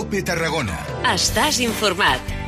COPE Tarragona. Estàs informat.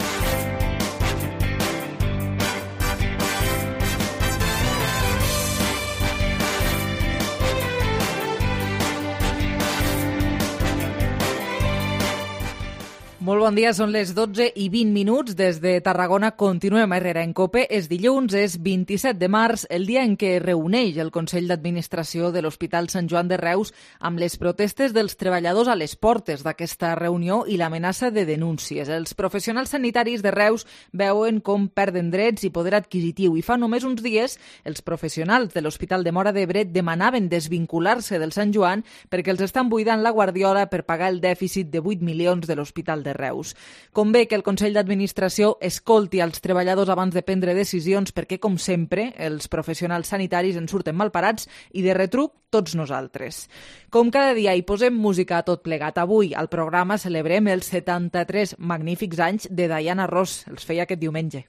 Molt bon dia, són les 12:20 des de Tarragona. Continuem a Herrera en COPE. És dilluns, és 27 de març, el dia en què reuneix el Consell d'Administració de l'Hospital Sant Joan de Reus amb les protestes dels treballadors a les portes d'aquesta reunió i l'amenaça de denúncies. Els professionals sanitaris de Reus veuen com perden drets i poder adquisitiu i fa només uns dies els professionals de l'Hospital de Móra d'Ebre demanaven desvincular-se del Sant Joan perquè els estan buidant la guardiola per pagar el dèficit de 8 milions de l'Hospital de Reus. Convé que el Consell d'Administració escolti als treballadors abans de prendre decisions perquè, com sempre, els professionals sanitaris en surten malparats i de retruc tots nosaltres. Com cada dia hi posem música a tot plegat. Avui al programa celebrem els 73 magnífics anys de Diana Ross. Els feia aquest diumenge.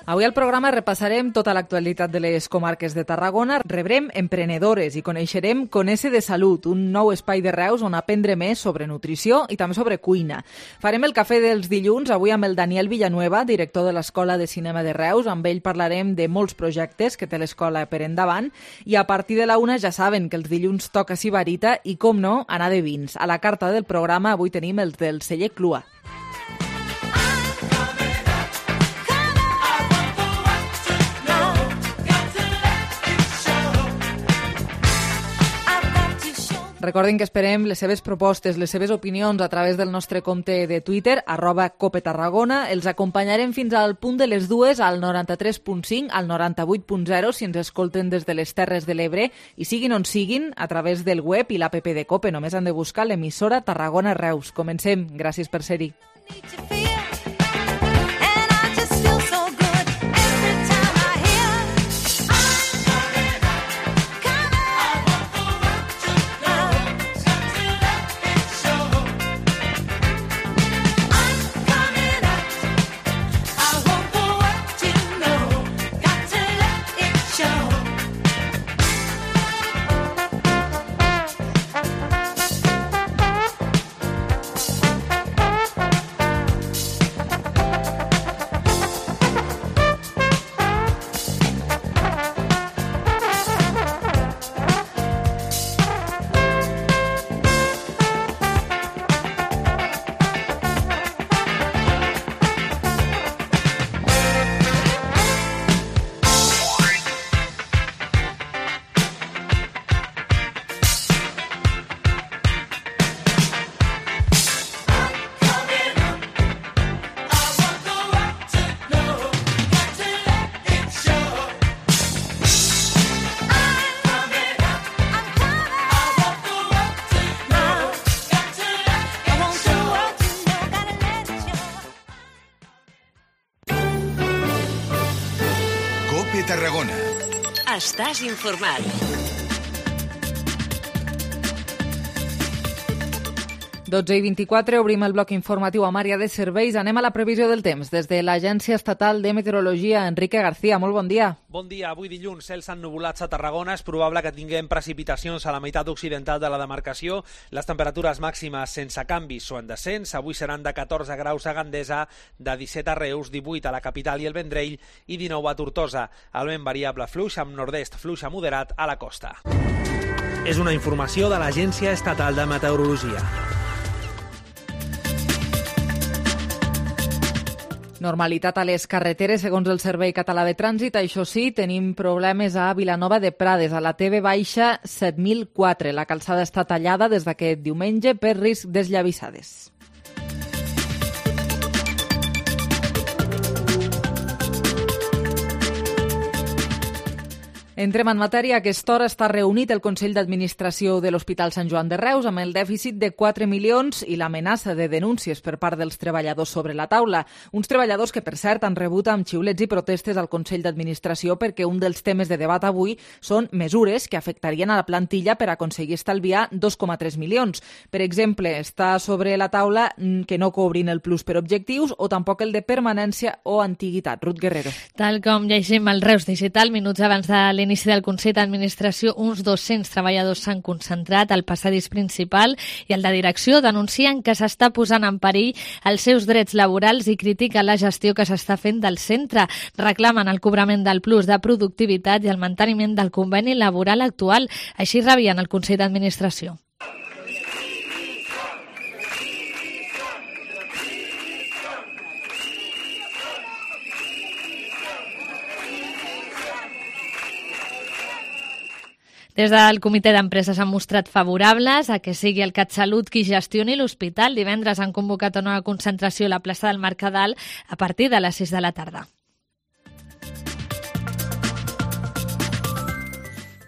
Avui al programa repassarem tota l'actualitat de les comarques de Tarragona, rebrem emprenedores i coneixerem Conèixer de Salut, un nou espai de Reus on aprendre més sobre nutrició i també sobre cuina. Farem el cafè dels dilluns, avui amb el Daniel Villanueva, director de l'Escola de Cinema de Reus. Amb ell parlarem de molts projectes que té l'escola per endavant i a partir de la 1 ja saben que els dilluns toca Sibarita i, com no, anar de vins. A la carta del programa avui tenim els del celler Clua. Recordin que esperem les seves propostes, les seves opinions a través del nostre compte de Twitter, @CopeTarragona. Els acompanyarem fins al punt de les 2 al 93.5, al 98.0 si ens escolten des de les Terres de l'Ebre i siguin on siguin a través del web i l'app de COPE. Només han de buscar l'emissora Tarragona Reus. Comencem. Gràcies per ser-hi. Tarragona. Estàs informat. Dotze i 24, obrim el bloc informatiu amb àrea de serveis. Anem a la previsió del temps. Des de l'Agència Estatal de Meteorologia, Enrique García, molt bon dia. Bon dia. Avui dilluns, cels ennubulats a Tarragona. És probable que tinguem precipitacions a la meitat occidental de la demarcació. Les temperatures màximes sense canvis o en descens. Avui seran de 14 graus a Gandesa, de 17 a Reus, 18 a la capital i el Vendrell i 19 a Tortosa. El vent variable fluix amb nord-est fluix a moderat a la costa. És una informació de l'Agència Estatal de Meteorologia. Normalitat a les carreteres, segons el Servei Català de Trànsit. Això sí, tenim problemes a Vilanova de Prades, a la TV baixa 7004. La calçada està tallada des d'aquest diumenge per risc d'esllavissades. Entrem en matèria. A aquesta hora està reunit el Consell d'Administració de l'Hospital Sant Joan de Reus amb el dèficit de 4 milions i l'amenaça de denúncies per part dels treballadors sobre la taula. Uns treballadors que, per cert, han rebut amb xiulets i protestes al Consell d'Administració perquè un dels temes de debat avui són mesures que afectarien a la plantilla per aconseguir estalviar 2,3 milions. Per exemple, està sobre la taula que no cobrin el plus per objectius o tampoc el de permanència o antiguitat. Ruth Guerrero. Tal com llegim al Reus Digital, minuts abans de l'inici del Consell d'Administració, uns 200 treballadors s'han concentrat al passadís principal i el de direcció denuncien que s'està posant en perill els seus drets laborals i critiquen la gestió que s'està fent del centre. Reclamen el cobrament del plus de productivitat i el manteniment del conveni laboral actual. Així rebien el Consell d'Administració. Des del comitè d'empresa s'han mostrat favorables a que sigui el CatSalut qui gestioni l'hospital. Divendres han convocat una concentració a la plaça del Mercadal a partir de les 6 de la tarda.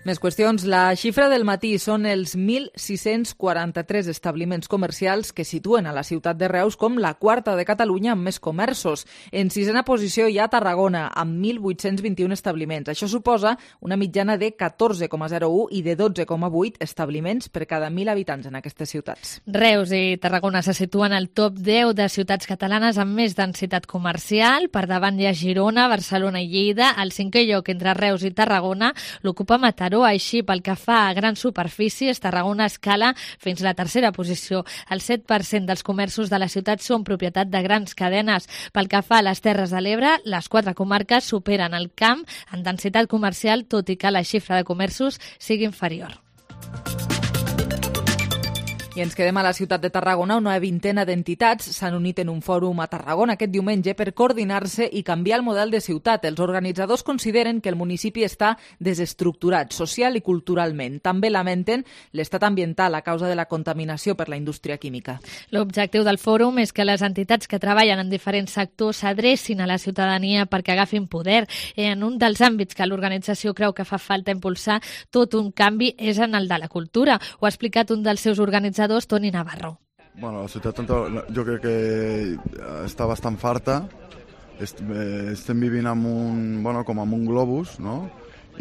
Més qüestions. La xifra del matí són els 1.643 establiments comercials que situen a la ciutat de Reus com la quarta de Catalunya amb més comerços. En sisena posició hi ha Tarragona, amb 1.821 establiments. Això suposa una mitjana de 14,01 i de 12,8 establiments per cada 1.000 habitants en aquestes ciutats. Reus i Tarragona se situen al top 10 de ciutats catalanes amb més densitat comercial. Per davant hi ha Girona, Barcelona i Lleida. Al cinquè lloc entre Reus i Tarragona l'ocupa Mataró. Així, pel que fa a grans superfícies, Tarragona escala fins a la tercera posició. El 7% dels comerços de la ciutat són propietat de grans cadenes. Pel que fa a les Terres de l'Ebre, les 4 comarques superen el Camp en densitat comercial, tot i que la xifra de comerços sigui inferior. I ens quedem a la ciutat de Tarragona. Una vintena d'entitats s'han unit en un fòrum a Tarragona aquest diumenge per coordinar-se i canviar el model de ciutat. Els organitzadors consideren que el municipi està desestructurat social i culturalment. També lamenten l'estat ambiental a causa de la contaminació per la indústria química. L'objectiu del fòrum és que les entitats que treballen en diferents sectors s'adrecin a la ciutadania perquè agafin poder. En un dels àmbits que l'organització creu que fa falta impulsar tot un canvi és en el de la cultura. Ho ha explicat un dels seus organitzadors, Toni Navarro. Bueno, la ciutat jo crec que està bastant farta. Estem vivint com amb un globus, no?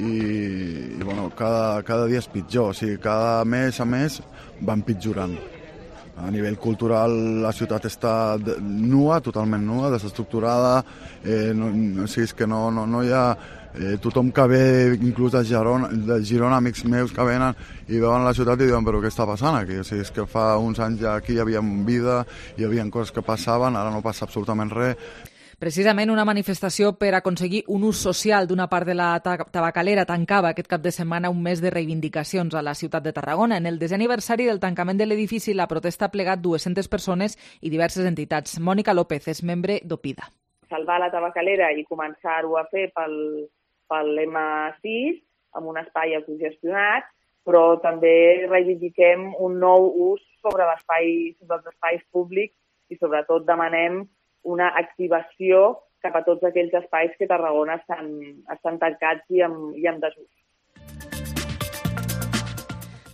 I bueno, cada dia és pitjor. O sigui, cada mes a mes va empitjorant. A nivell cultural la ciutat està nua, totalment nua, desestructurada. O sigui, és que no hi ha... tothom que ve, inclús de Girona, amics meus que venen i veuen la ciutat i diuen, però què està passant aquí? O sigui, és que fa uns anys ja aquí hi havia vida, hi havia coses que passaven, ara no passa absolutament res. Precisament una manifestació per aconseguir un ús social d'una part de la tabacalera tancava aquest cap de setmana un mes de reivindicacions a la ciutat de Tarragona. En el 10è aniversari del tancament de l'edifici, la protesta ha plegat 200 persones i diverses entitats. Mònica López és membre d'Opida. Salvar la tabacalera i començar-ho a fer pel M6 amb un espai autogestionat, però també reivindiquem un nou ús sobre els espais públics i sobretot demanem una activació cap a tots aquells espais que a Tarragona estan tancats i en desús.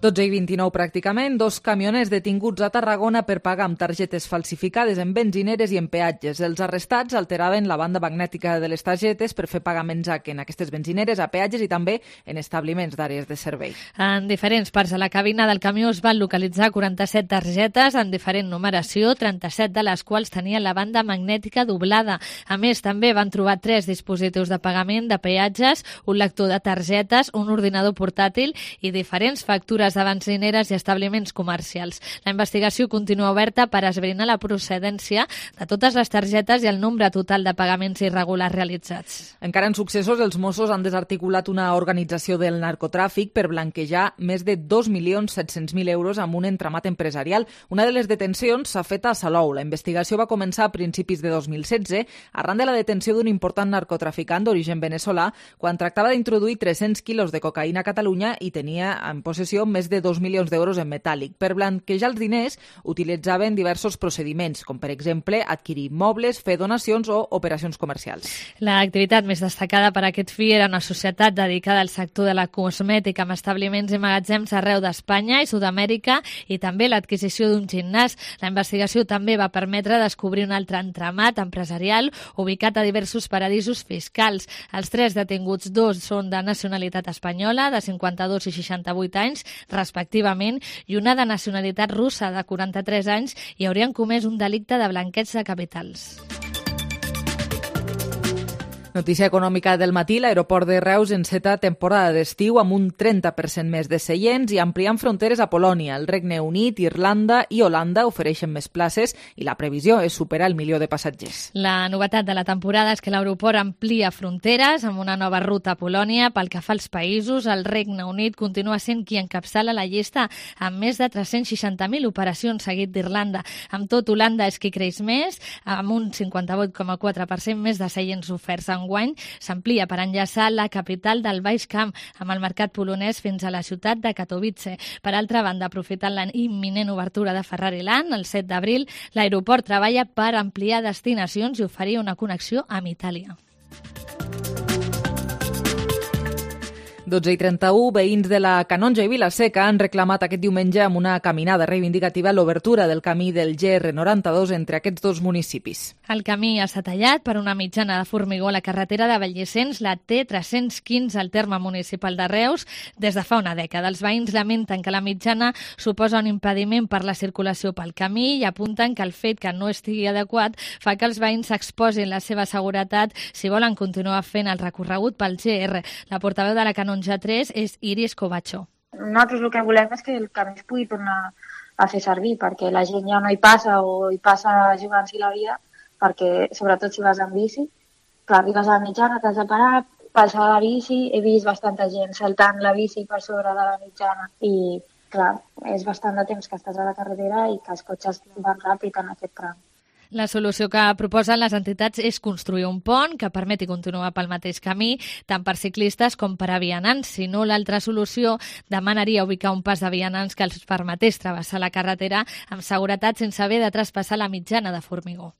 12:29 pràcticament, 2 camioners detinguts a Tarragona per pagar amb targetes falsificades en benzineres i en peatges. Els arrestats alteraven la banda magnètica de les targetes per fer pagaments en aquestes benzineres, a peatges i també en establiments d'àrees de servei. En diferents parts de la cabina del camió es van localitzar 47 targetes en diferent numeració, 37 de les quals tenien la banda magnètica doblada. A més, també van trobar 3 dispositius de pagament de peatges, un lector de targetes, un ordinador portàtil i diferents factures de benzineres i establiments comercials. La investigació continua oberta per esbrinar la procedència de totes les targetes i el nombre total de pagaments irregulars realitzats. Encara en successos, els Mossos han desarticulat una organització del narcotràfic per blanquejar més de 2.700.000 euros amb un entramat empresarial. Una de les detencions s'ha fet a Salou. La investigació va començar a principis de 2016 arran de la detenció d'un important narcotraficant d'origen veneçolà quan tractava d'introduir 300 quilos de cocaïna a Catalunya i tenia en possessió més més de 2 milions d'euros en metàl·lic. Per blanquejar els diners utilitzaven diversos procediments, com per exemple adquirir immobles, fer donacions o operacions comercials. L'activitat més destacada per aquest fi era una societat dedicada al sector de la cosmètica amb establiments i magatzems arreu d'Espanya i Sud-amèrica i també l'adquisició d'un gimnàs. La investigació també va permetre descobrir un altre entramat empresarial ubicat a diversos paradisos fiscals. Els 3 detinguts, 2 són de nacionalitat espanyola, de 52 i 68 anys, respectivament, i una de nacionalitat russa, de 43 anys, i haurien comès un delicte de blanqueig de capitals. Notícia econòmica del matí, l'aeroport de Reus enceta temporada d'estiu amb un 30% més de seients i ampliant fronteres a Polònia. El Regne Unit, Irlanda i Holanda ofereixen més places i la previsió és superar el 1 milió de passatgers. La novetat de la temporada és que l'aeroport amplia fronteres amb una nova ruta a Polònia. Pel que fa als països, el Regne Unit continua sent qui encapçala la llista amb més de 360.000 operacions, seguit d'Irlanda. Amb tot, Holanda és qui creix més, amb un 58,4% més de seients oferts. Enguany s'amplia per enllaçar la capital del Baix Camp amb el mercat polonès fins a la ciutat de Katowice. Per altra banda, aprofitant la imminent obertura de Ferrari Land, el 7 d'abril, l'aeroport treballa per ampliar destinacions i oferir una connexió amb Itàlia. 12:31, veïns de la Canonja i Vila-seca han reclamat aquest diumenge amb una caminada reivindicativa l'obertura del camí del GR92 entre aquests dos municipis. El camí està tallat per una mitjana de formigó a la carretera de Vallescens, la T315 al terme municipal de Reus, des de fa una dècada. Els veïns lamenten que la mitjana suposa un impediment per la circulació pel camí i apunten que el fet que no estigui adequat fa que els veïns s'exposin la seva seguretat si volen continuar fent el recorregut pel GR. La portaveu de la Canonja 3 és Iris Covacho. Nosaltres el que volem és que el camí es pugui tornar a fer servir, perquè la gent ja no hi passa o hi passa jugant-s'hi la vida, perquè sobretot si vas amb bici, que arribes a la mitjana, t'has de parar, passar la bici, he vist bastanta gent saltant la bici per sobre de la mitjana i clar, és bastant de temps que estàs a la carretera i que els cotxes van ràpid en aquest tram. La solució que proposen les entitats és construir un pont que permeti continuar pel mateix camí, tant per ciclistes com per a vianants. Si no, l'altra solució demanaria ubicar un pas de vianants que els permetés travessar la carretera amb seguretat sense haver de traspassar la mitjana de formigó.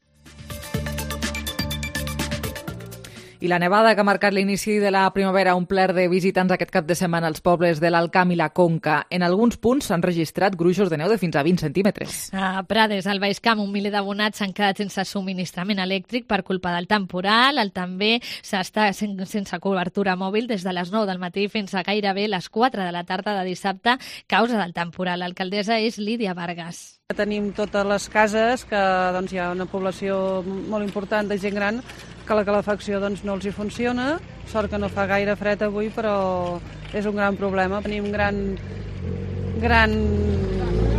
I la nevada que ha marcat l'inici de la primavera ha omplert de visitants aquest cap de setmana als pobles de l'Alt Camp i la Conca. En alguns punts s'han registrat gruixos de neu de fins a 20 centímetres. A Prades, al Baix Camp, un miler d'abonats s'han quedat sense subministrament elèctric per culpa del temporal. També s'està sense cobertura mòbil des de les 9 del matí fins a gairebé les 4 de la tarda de dissabte, causa del temporal. L'alcaldessa és Lídia Vargas. Tenim totes les cases, que hi ha una població molt important de gent gran, que la calefacció no els hi funciona. Sort que no fa gaire fred avui, però és un gran problema. Tenim gran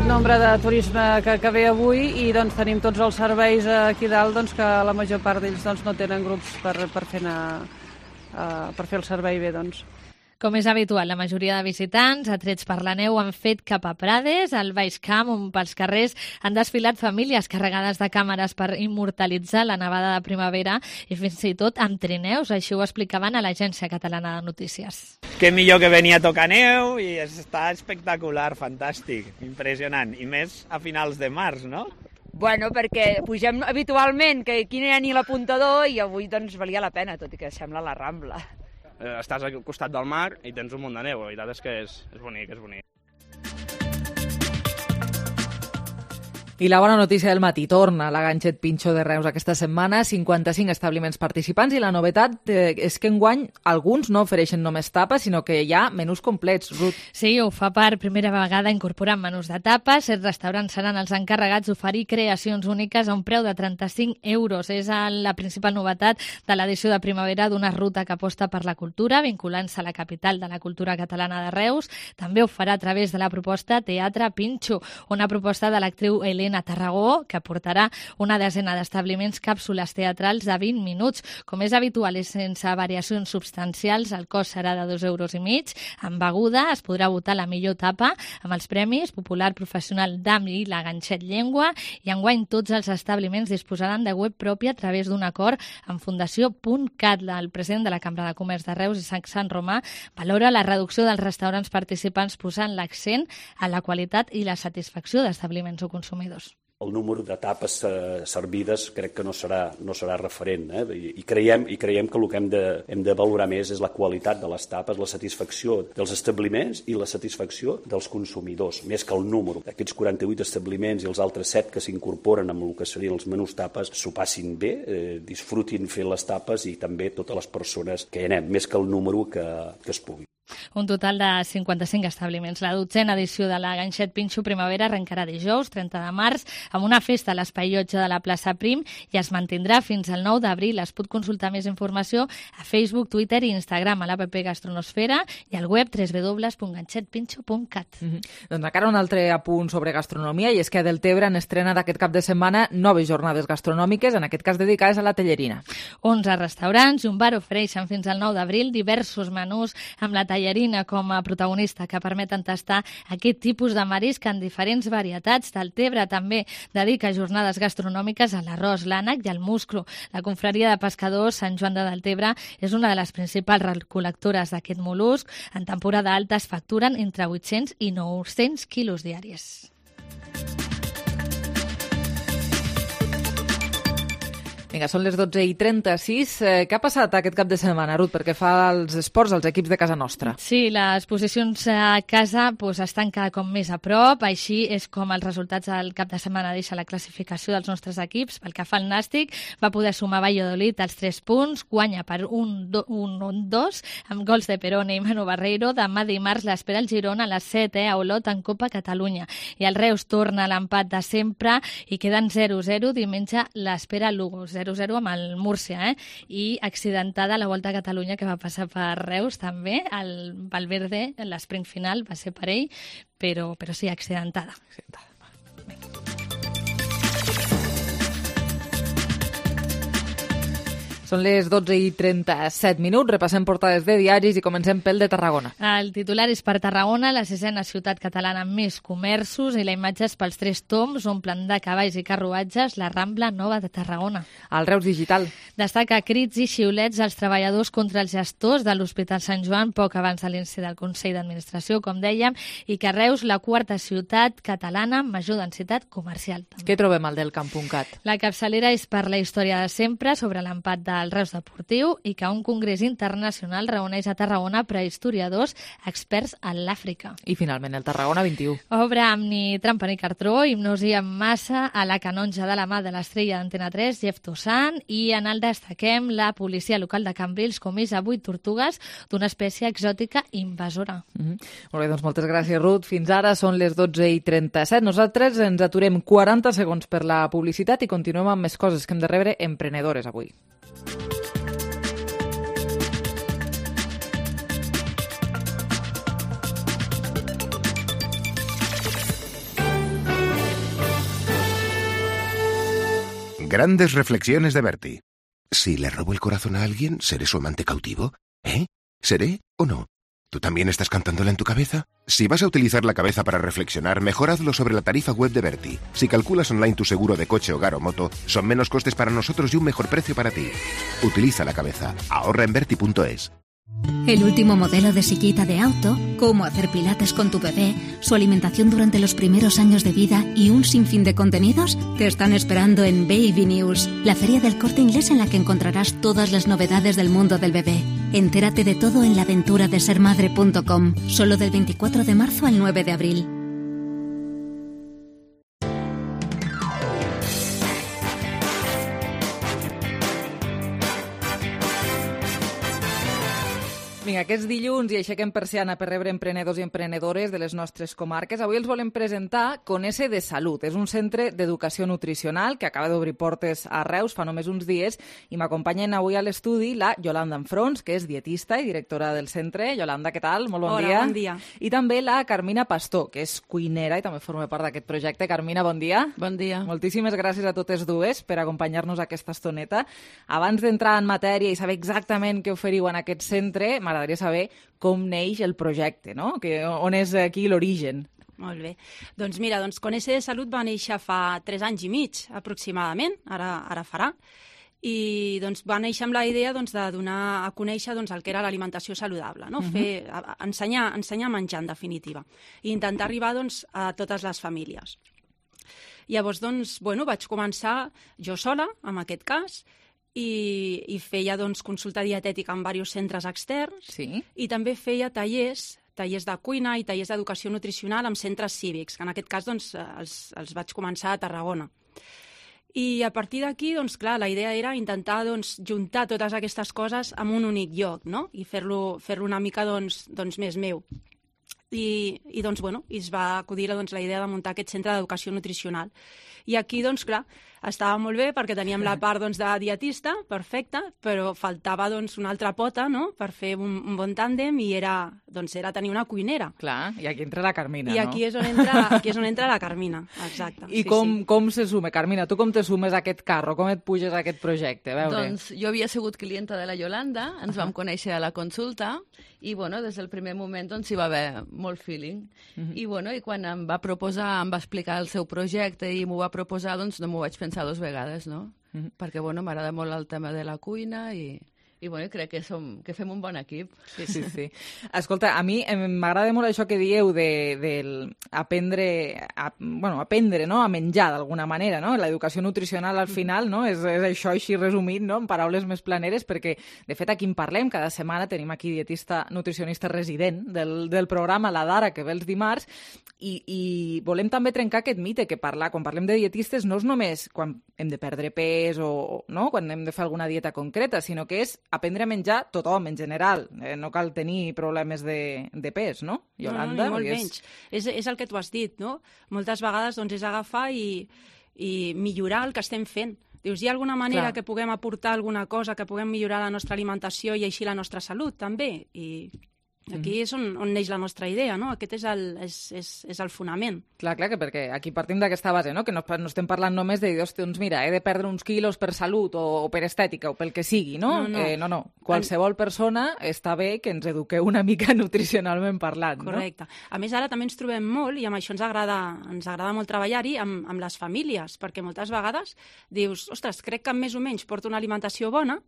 nombre de turisme que ve avui i tenim tots els serveis aquí dalt que la major part d'ells no tenen grups per fer el servei bé. Com és habitual, la majoria de visitants, atrets per la neu, han fet cap a Prades, al Baix Camp, on pels carrers han desfilat famílies carregades de càmeres per immortalitzar la nevada de primavera i fins i tot amb trineus, així ho explicaven a l'Agència Catalana de Notícies. Que millor que venir a tocar neu i està espectacular, fantàstic, impressionant, i més a finals de març, no? Bueno, perquè pugem habitualment, que aquí no hi ha ni l'apuntador i avui valia la pena, tot i que sembla la Rambla. Estàs al costat del mar i tens un munt de neu, la veritat és que és bonic, és bonic. I la bona notícia del matí, torna la Ganxet Pinxo de Reus aquesta setmana, 55 establiments participants, i la novetat és que enguany alguns no ofereixen només tapes, sinó que hi ha menús complets. Ruth. Sí, ho fa per primera vegada incorporant menús de tapes. Els restaurants seran els encarregats d'oferir creacions úniques a un preu de 35 euros. És la principal novetat de l'edició de primavera d'una ruta que aposta per la cultura, vinculant-se a la capital de la cultura catalana de Reus. També ho farà a través de la proposta Teatre Pinxo, una proposta de l'actriu Helena a Tarragó, que portarà una desena d'establiments càpsules teatrals de 20 minuts. Com és habitual i sense variacions substancials, el cost serà de 2,5 euros. Amb beguda es podrà votar la millor tapa amb els premis Popular Professional d'AM i la Ganxet Llengua, i enguany tots els establiments disposaran de web pròpia a través d'un acord amb Fundació.cat. El president de la Cambra de Comerç de Reus i Sant Romà valora la reducció dels restaurants participants posant l'accent a la qualitat i la satisfacció d'establiments o consumidors. El número de tapes servides crec que no serà referent, I creiem que el que hem de valorar més és la qualitat de les tapes, la satisfacció dels establiments i la satisfacció dels consumidors, més que el número. Aquests 48 establiments i els altres 7 que s'incorporen amb el que serien els menús tapes s'ho passin bé, disfrutin fent les tapes i també totes les persones que hi anem, més que el número que es pugui. Un total de 55 establiments. La 12a edició de la Ganxet Pinxo Primavera arrencarà dijous, 30 de març, amb una festa a l'Espai Llotja de la plaça Prim i es mantindrà fins al 9 d'abril. Es pot consultar més informació a Facebook, Twitter i Instagram, a l'APP Gastronosfera i al web www.ganxetpinxo.cat. Doncs encara un altre apunt sobre gastronomia, i és que a Deltebre han estrenat aquest cap de setmana noves jornades gastronòmiques, en aquest cas dedicades a la Tellerina. 11 restaurants i un bar ofereixen fins al 9 d'abril diversos menús amb la tallarina com a protagonista, que permeten tastar aquest tipus de marisc en diferents varietats. Deltebre també dedica jornades gastronòmiques a l'arròs, l'ànec i al musclo. La confraria de pescadors Sant Joan de Deltebre és una de les principals recol·lectores d'aquest mol·lusc. En temporada alta es facturen entre 800 i 900 quilos diaris. Vinga, són les 12:36. Què ha passat aquest cap de setmana, Ruth, perquè fa els esports als equips de casa nostra? Sí, les posicions a casa estan cada cop més a prop, així és com els resultats del cap de setmana deixa la classificació dels nostres equips. Pel que fa al Nàstic, va poder sumar Valladolid els 3 punts, guanya per 1-2, amb gols de Perone i Manu Barreiro. Demà dimarts l'espera el Girona a les 7, a Olot, en Copa Catalunya. I el Reus torna a l'empat de sempre i queden 0-0. Diumenge l'espera Lugo, 0-0 amb el Múrcia, i accidentada la Volta a Catalunya, que va passar per Reus també. El Valverde, l'esprint final, va ser per ell, però sí, accidentada. Són les 12:37. Repassem portades de diaris i comencem pel de Tarragona. El titular és per Tarragona, la 6a ciutat catalana amb més comerços, i la imatge és pels 3 toms, omplen de cavalls i carruatges la Rambla Nova de Tarragona. El Reus Digital destaca crits i xiulets als treballadors contra els gestors de l'Hospital Sant Joan poc abans de l'inici del Consell d'Administració, com dèiem, i que Reus, la 4a ciutat catalana amb major densitat comercial. Què trobem al del Camp.cat? La capçalera és per la història de sempre sobre l'empat del Reus Deportiu i que un congrés internacional reuneix a Tarragona prehistoriadors experts en l'Àfrica. I finalment el Tarragona 21. Obra amb ni trampa ni cartró, hipnosi amb massa a la canonja de la mà de l'estrella d'Antena 3, Jeff Toussaint, i en el destaquem la policia local de Cambrils comissa 8 tortugues d'una espècie exòtica invasora. Molt bé, doncs moltes gràcies, Ruth. Fins ara són les 12:37. Nosaltres ens aturem 40 segons per la publicitat i continuem amb més coses que hem de rebre emprenedores avui. Grandes reflexiones de Bertie. Si le robo el corazón a alguien, ¿seré su amante cautivo? ¿Seré o no? ¿Tú también estás cantándola en tu cabeza? Si vas a utilizar la cabeza para reflexionar, mejor hazlo sobre la tarifa web de Bertie. Si calculas online tu seguro de coche, hogar o moto, son menos costes para nosotros y un mejor precio para ti. Utiliza la cabeza. Ahorra en Bertie.es. El último modelo de sillita de auto, cómo hacer pilates con tu bebé, su alimentación durante los primeros años de vida y un sinfín de contenidos te están esperando en Baby News, la feria del Corte Inglés en la que encontrarás todas las novedades del mundo del bebé. Entérate de todo en laaventuradesermadre.com, solo del 24 de marzo al 9 de abril. Vinga, que és dilluns i aixequem persiana per rebre emprenedors i emprenedores de les nostres comarques. Avui els volem presentar Conese de Salut. És un centre d'educació nutricional que acaba d'obrir portes a Reus fa només uns dies i m'acompanyen avui a l'estudi la Yolanda Enfrons, que és dietista i directora del centre. Yolanda, què tal? Molt bon dia. Hola, bon dia. I també la Carmina Pastor, que és cuinera i també forma part d'aquest projecte. Carmina, bon dia. Bon dia. Moltíssimes gràcies a totes dues per acompanyar-nos aquesta estoneta. Abans d'entrar en matèria i saber exactament què oferiu en aquest centre, m'agradaria saber com neix el projecte, no? On és aquí l'origen? Molt bé. Doncs mira, Conese de Salut va néixer fa 3 anys i mig, aproximadament, ara farà, i va néixer amb la idea de donar a conèixer el que era l'alimentació saludable, no? Ensenyar a menjar, en definitiva, i intentar arribar a totes les famílies. Llavors, vaig començar jo sola, en aquest cas, i feia consulta dietètica en diversos centres externs, i també feia tallers de cuina i tallers d'educació nutricional en centres cívics, que en aquest cas els vaig començar a Tarragona. I a partir d'aquí, clar, la idea era intentar juntar totes aquestes coses en un únic lloc, no? I fer-lo una mica més meu. I es va acudir la idea de muntar aquest centre d'educació nutricional. I aquí, clar, estava molt bé perquè teníem la part de dietista, perfecte, però faltava una altra pota, no?, per fer un bon tàndem, i era tenir una cuinera. Clar, i aquí entra la Carmina, no? I aquí és on entra la Carmina, exacte. I com se sume? Carmina, tu com te sumes a aquest carro? Com et puges a aquest projecte? A veure. Doncs jo havia sigut clienta de la Yolanda, ens vam conèixer a la consulta, i des del primer moment hi va haver molt feeling. I quan em va proposar, em va explicar el seu projecte i m'ho va proposar, no m'ho vaig pensar 2 vegades, no? Perquè m'agrada molt el tema de la cuina i crec que fem un bon equip. Sí. Escolta, a mi m'agrada molt això que dieu d'aprendre no? A menjar d'alguna manera, no? L'educació nutricional al final, no? És això així resumit, no? En paraules més planeres, perquè de fet aquí en parlem, cada setmana tenim aquí dietista nutricionista resident del programa, la Dara, que ve els dimarts, i volem també trencar aquest mite que quan parlem de dietistes no és només quan hem de perdre pes o no? Quan hem de fer alguna dieta concreta, sinó que és aprendre a menjar tothom, en general. No cal tenir problemes de pes, no? Yolanda? No, molt menys. És el que tu has dit, no? Moltes vegades és agafar i millorar el que estem fent. Dius, hi ha alguna manera que puguem aportar alguna cosa, que puguem millorar la nostra alimentació i així la nostra salut, també? I aquí és on neix la nostra idea, no? Aquest és el fonament. Clar, perquè aquí partim d'aquesta base, no? Que no estem parlant només de dir, doncs mira, he de perdre uns quilos per salut o per estètica o pel que sigui, no? No. Qualsevol persona està bé que ens eduqueu una mica nutricionalment parlant, no? Correcte. A més, ara també ens trobem molt, i amb això ens agrada molt treballar-hi, amb les famílies, perquè moltes vegades dius, ostres, crec que més o menys porto una alimentació bona,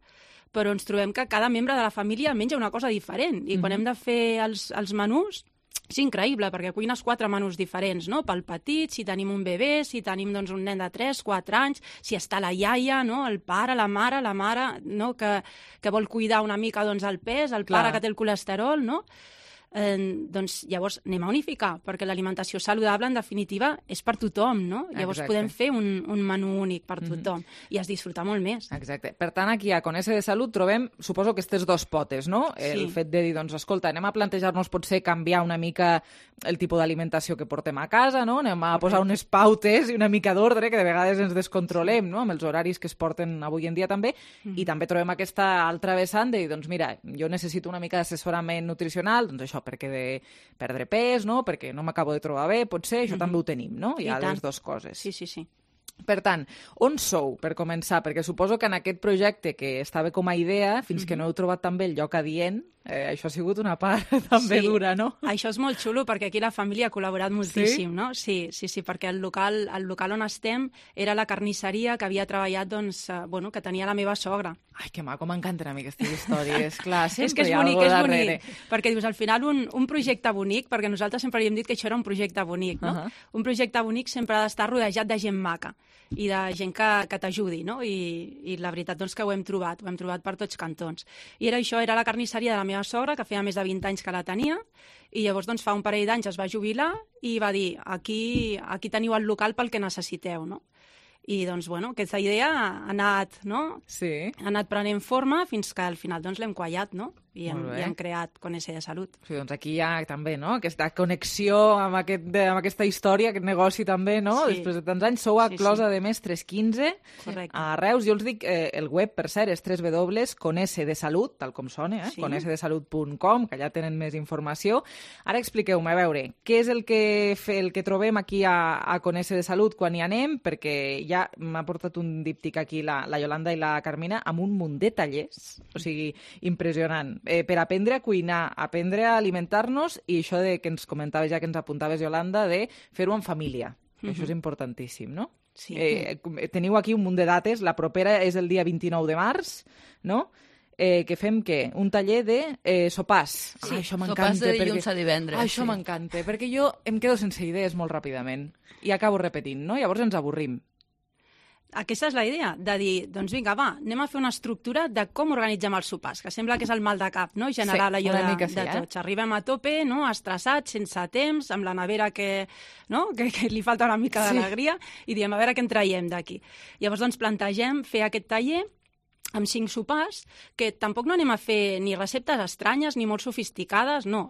però ens trobem que cada membre de la família menja una cosa diferent. I quan hem de fer els menús, és increïble, perquè cuines 4 menús diferents, no? Pel petit, si tenim un bebè, si tenim un nen de 3-4 anys, si està la iaia, no? El pare, la mare, no? Que vol cuidar una mica el pes, el pare que té el colesterol, no? Llavors anem a unificar, perquè l'alimentació saludable, en definitiva, és per tothom, no? Llavors podem fer un menú únic per tothom i es disfruta molt més. Exacte. Per tant, aquí a Conese de Salut trobem, suposo, aquestes 2 potes, no? El fet de dir, escolta, anem a plantejar-nos potser canviar una mica el tipus d'alimentació que portem a casa, no? Anem a posar unes pautes i una mica d'ordre, que de vegades ens descontrolem, no? Amb els horaris que es porten avui en dia també, i també trobem aquesta altra vessant de dir, mira, jo necessito una mica d'assessorament nutricional, això, perquè de perdre pes, no? Perquè no m'acabo de trobar bé, potser això també ho tenim, no? Hi ha les 2 coses. Sí. Per tant, on sou, per començar? Perquè suposo que en aquest projecte, que estava com a idea, fins que no heu trobat també el lloc adient, això ha sigut una part també dura, no? Això és molt xulo, perquè aquí la família ha col·laborat moltíssim, no? Sí, perquè el local on estem era la carnisseria que havia treballat, que tenia la meva sogra. Ai, que maco, m'encanten a mi aquestes històries. Clar, sempre és que és bonic, perquè dius, al final, un projecte bonic, perquè nosaltres sempre li hem dit que això era un projecte bonic, no? Un projecte bonic sempre ha d'estar rodejat de gent maca i de gent que t'ajudi, no? I la veritat que ho hem trobat per tots cantons. I era això, era la carnisseria de la meva sogra, que feia més de 20 anys que la tenia, i llavors fa un parell d'anys es va jubilar i va dir, aquí teniu el local pel que necessiteu, no? I aquesta idea ha anat prenent forma fins que al final l'hem quallat, no? i hem creat Conese de Salut. Sí, doncs aquí hi ha també, no?, aquesta connexió amb aquesta història, aquest negoci també, no? Sí. Després de tants anys sou a Closa de Mestres 15, a Reus. Jo els dic, el web, per cert, és www.conesedesalut, tal com sona, conesedesalut.com, que allà tenen més informació. Ara expliqueu-me, a veure, què és el que trobem aquí a Conese de Salut quan hi anem, perquè ja m'ha portat un díptic aquí la Yolanda i la Carmina amb un munt de tallers, o sigui, impressionant. Per aprendre a cuinar, aprendre a alimentar-nos i això que ens comentaves ja, que ens apuntaves, Yolanda, de fer-ho en família. Això és importantíssim, no? Sí. Teniu aquí un munt de dates. La propera és el dia 29 de març, no? Que fem què? Un taller de sopars. Sí, sopars de dilluns a divendres. Això m'encanta, perquè jo em quedo sense idees molt ràpidament i acabo repetint, no? Llavors ens avorrim. Aquesta és la idea, de dir, doncs vinga, va, anem a fer una estructura de com organitzem els sopars, que sembla que és el mal de cap, no?, general allò de tots. Arribem a tope, no?, estressats, sense temps, amb la nevera que li falta una mica d'alegria, i diem, a veure què en traiem d'aquí. Llavors, doncs, plantegem fer aquest taller amb 5 sopars, que tampoc no anem a fer ni receptes estranyes ni molt sofisticades, no.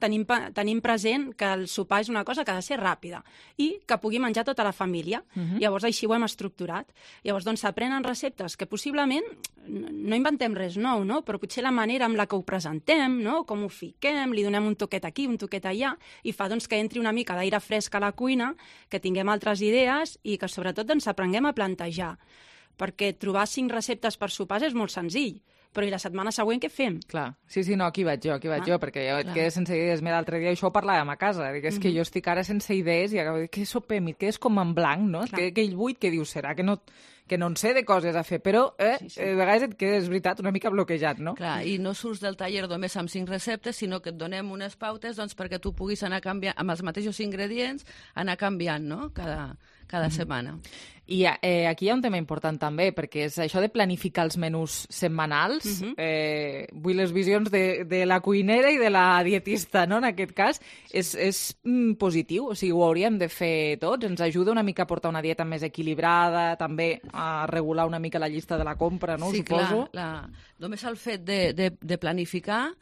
Tenim present que el sopar és una cosa que ha de ser ràpida i que pugui menjar tota la família. Llavors així ho hem estructurat. Llavors doncs s'aprenen receptes que possiblement no inventem res nou, no? Però potser la manera amb la que ho presentem, no? Com ho fiquem, li donem un toquet aquí, un toquet allà, i fa doncs que entri una mica d'aire fresc a la cuina, que tinguem altres idees i que sobretot doncs aprenguem a plantejar. Perquè trobar 5 receptes per sopars és molt senzill, però i la setmana següent què fem? Clar, sí, no, aquí vaig jo, perquè jo et quedo sense idees. Mira, l'altre dia això ho parlàvem a casa, és que jo estic ara sense idees i acabo de dir, què sopem? I quedes com en blanc, no? Aquell buit que dius, serà que no en sé de coses a fer, però a vegades et quedes, és veritat, una mica bloquejat, no? Clar, i no surts del taller només amb 5 receptes, sinó que et donem unes pautes perquè tu puguis anar canviant, amb els mateixos ingredients, anar canviant, no?, cada setmana. I aquí hi ha un tema important també, perquè és això de planificar els menús setmanals. Vull les visions de la cuinera i de la dietista, no?, en aquest cas. És positiu, o sigui, ho hauríem de fer tots. Ens ajuda una mica a portar una dieta més equilibrada, també a regular una mica la llista de la compra, no?, suposo. Sí, clar. Només el fet de planificar,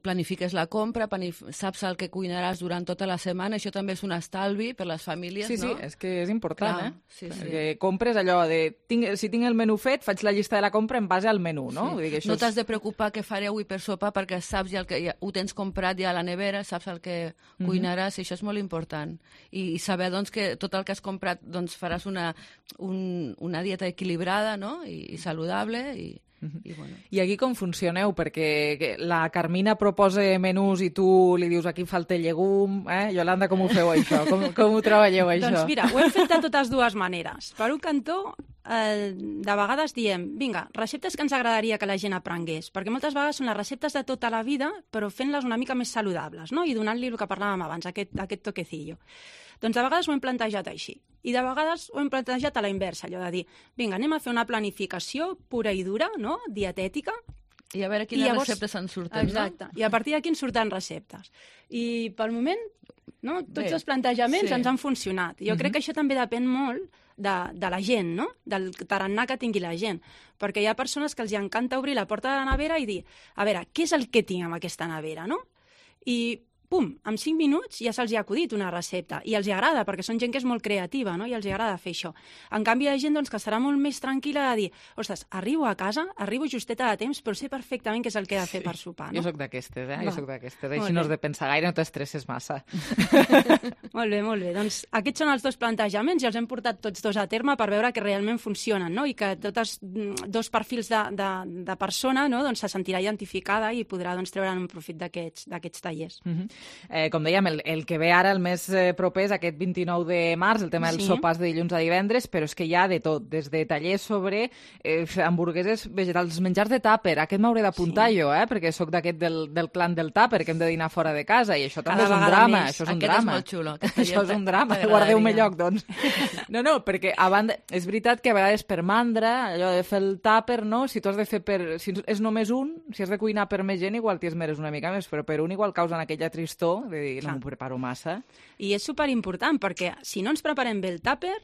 planifiques la compra, saps el que cuinaràs durant tota la setmana, això també és un estalvi per les famílies, no? Sí, és que és important, clar, perquè compres allò de, si tinc el menú fet, faig la llista de la compra en base al menú, no? Sí. Vull dir que no t'has de preocupar què faré avui per sopar, perquè saps ja ho tens comprat ja a la nevera, saps el que cuinaràs, i això és molt important. I saber, doncs, que tot el que has comprat, doncs, faràs una dieta equilibrada, no?, i saludable, I aquí com funcioneu? Perquè la Carmina proposa menús i tu li dius aquí falta llegum, Yolanda, com ho feu això? Com ho treballeu, això? Doncs mira, ho hem fet de totes dues maneres. Per un cantó, de vegades diem, vinga, receptes que ens agradaria que la gent aprengués, perquè moltes vegades són les receptes de tota la vida, però fent-les una mica més saludables, no?, i donant-li el que parlàvem abans, aquest toquecillo. Doncs de vegades ho hem plantejat així. I de vegades ho hem plantejat a la inversa, allò de dir, vinga, anem a fer una planificació pura i dura, no?, dietètica. I a veure quines receptes en surten, exacte. I a partir d'aquí en surten receptes. I pel moment, no, tots els plantejaments ens han funcionat. Jo crec que això també depèn molt de la gent, no?, del tarannà que tingui la gent. Perquè hi ha persones que els encanta obrir la porta de la nevera i dir, a veure, què és el que tinc amb aquesta nevera, no? I pum, en 5 minuts ja se'ls ha acudit una recepta i els agrada, perquè són gent que és molt creativa, no?, i els agrada fer això. En canvi, hi ha gent doncs, que estarà molt més tranquil·la de dir, ostres, arribo a casa, arribo justeta de temps, però sé perfectament què és el que he de fer per sopar, no? Jo soc d'aquestes, Jo soc d'aquestes. Així no has de pensar gaire, no t'estresses massa. Molt bé, molt bé. Doncs aquests són els dos plantejaments i els hem portat tots dos a terme per veure que realment funcionen, no?, i que tots dos perfils de persona, no?, doncs se sentirà identificada i podrà doncs, treure'n un profit d'aquests tallers. Com dèiem, el que ve ara, el més proper, és aquest 29 de març, el tema dels sopars de dilluns a divendres, però és que hi ha de tot, des de tallers sobre hamburgueses vegetals, menjars de tàper. Aquest m'hauré d'apuntar jo, perquè sóc d'aquest del clan del tàper, que hem de dinar fora de casa, i això també és un drama. Això és un drama. És molt xulo. Això és un drama. Guardeu-me lloc, doncs. No, perquè a banda, és veritat que a vegades per mandra, allò de fer el tàper, no? Si tu has de fer si és només un, si has de cuinar per més gent, igual t'hi esmeres una mica més, però per un igual causen aquella tristor de dir, no m'ho preparo massa. I és superimportant, perquè si no ens preparem bé el tàper,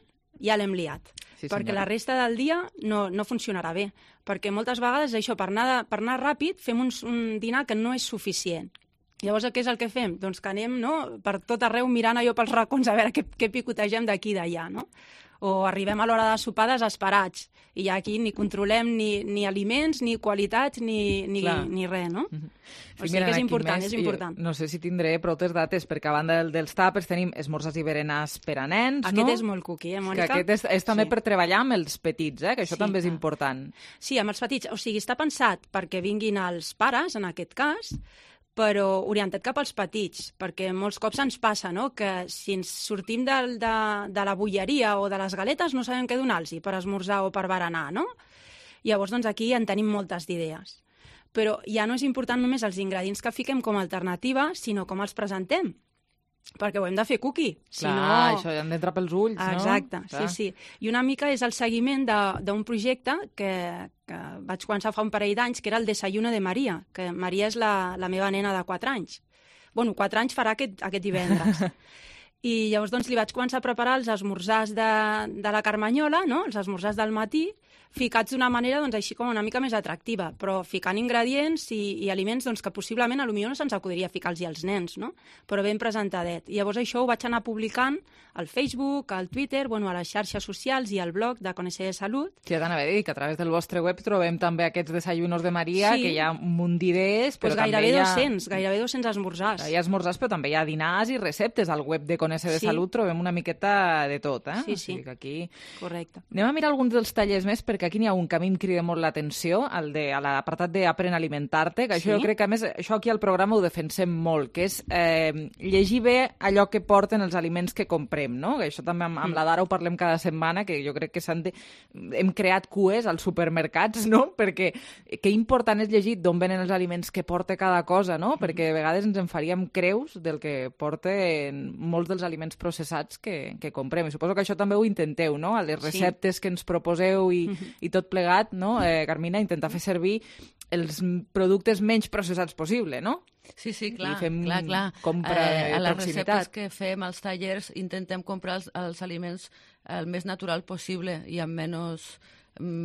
ja l'hem liat. perquè la resta del dia no funcionarà bé. Perquè moltes vegades això, per anar ràpid, fem un dinar que no és suficient. Llavors, què és el que fem? Doncs que anem per tot arreu mirant allò pels racons a veure què picotegem d'aquí i d'allà, no? O arribem a l'hora de sopar desesperats i aquí ni controlem ni aliments, ni qualitats, ni res, no? O sigui que és important, és important. No sé si tindré prou dates, perquè a banda dels tàpers tenim esmorzars i berenars per a nens, no? Aquest és molt cookie, Mònica? Que aquest és també per treballar amb els petits, que això també és important. Sí, amb els petits. O sigui, està pensat perquè vinguin els pares, en aquest cas, però orientat cap als petits, perquè molts cops ens passa, no?, que si ens sortim de la bolleria o de les galetes no sabem què donar-los per esmorzar o per berenar, no? Llavors, doncs, aquí en tenim moltes d'idees. Però ja no és important només els ingredients que fiquem com a alternativa, sinó com els presentem, perquè ho hem de fer cookie. Clar, això ja hem d'entrar pels ulls, no? Exacte, sí. I una mica és el seguiment d'un projecte que vaig començar fa un parell d'anys, que era el Desayuno de Maria, que Maria és la meva nena de 4 anys. Bueno, 4 anys farà aquest divendres. I llavors doncs, li vaig començar a preparar els esmorzars de la Carmanyola, no?, els esmorzars del matí, ficats d'una manera doncs, així com una mica més atractiva, però ficant ingredients i aliments doncs, que possiblement potser no se'ns acudiria ficar-los als nens, no?, però ben presentadet. I llavors això ho vaig anar publicant al Facebook, al Twitter, a les xarxes socials i al blog de Conèixer de Salut. Sí, t'anava a dir que a través del vostre web trobem també aquests desayunos de Maria, que hi ha un munt d'idees, però també gairebé 200 esmorzars. Hi ha esmorzars, però també hi ha dinars i receptes. Al web de Conèixer de Salut trobem una miqueta de tot, Sí. Aquí... Correcte. Anem a mirar alguns dels tallers més, perquè aquí n'hi ha un que a mi em crida molt l'atenció, a l'apartat d'Aprèn a alimentar-te, que això jo crec que, a més, això aquí al programa ho defensem molt, que és llegir bé allò que porten els aliments que comprem, no? Que això també amb la Dara ho parlem cada setmana, que jo crec que hem creat cues als supermercats, no? Perquè que important és llegir d'on venen els aliments que porta cada cosa, no? Perquè de vegades ens en faríem creus del que porten molts dels aliments processats que comprem. I suposo que això també ho intenteu, no? A les receptes que ens proposeu i tot plegat, no? Carmina, intentar fer servir els productes menys processats possible, no? Sí, clar. I fem clar. compra de a les proximitat. receptes que fem als tallers intentem comprar els aliments el més natural possible i amb menys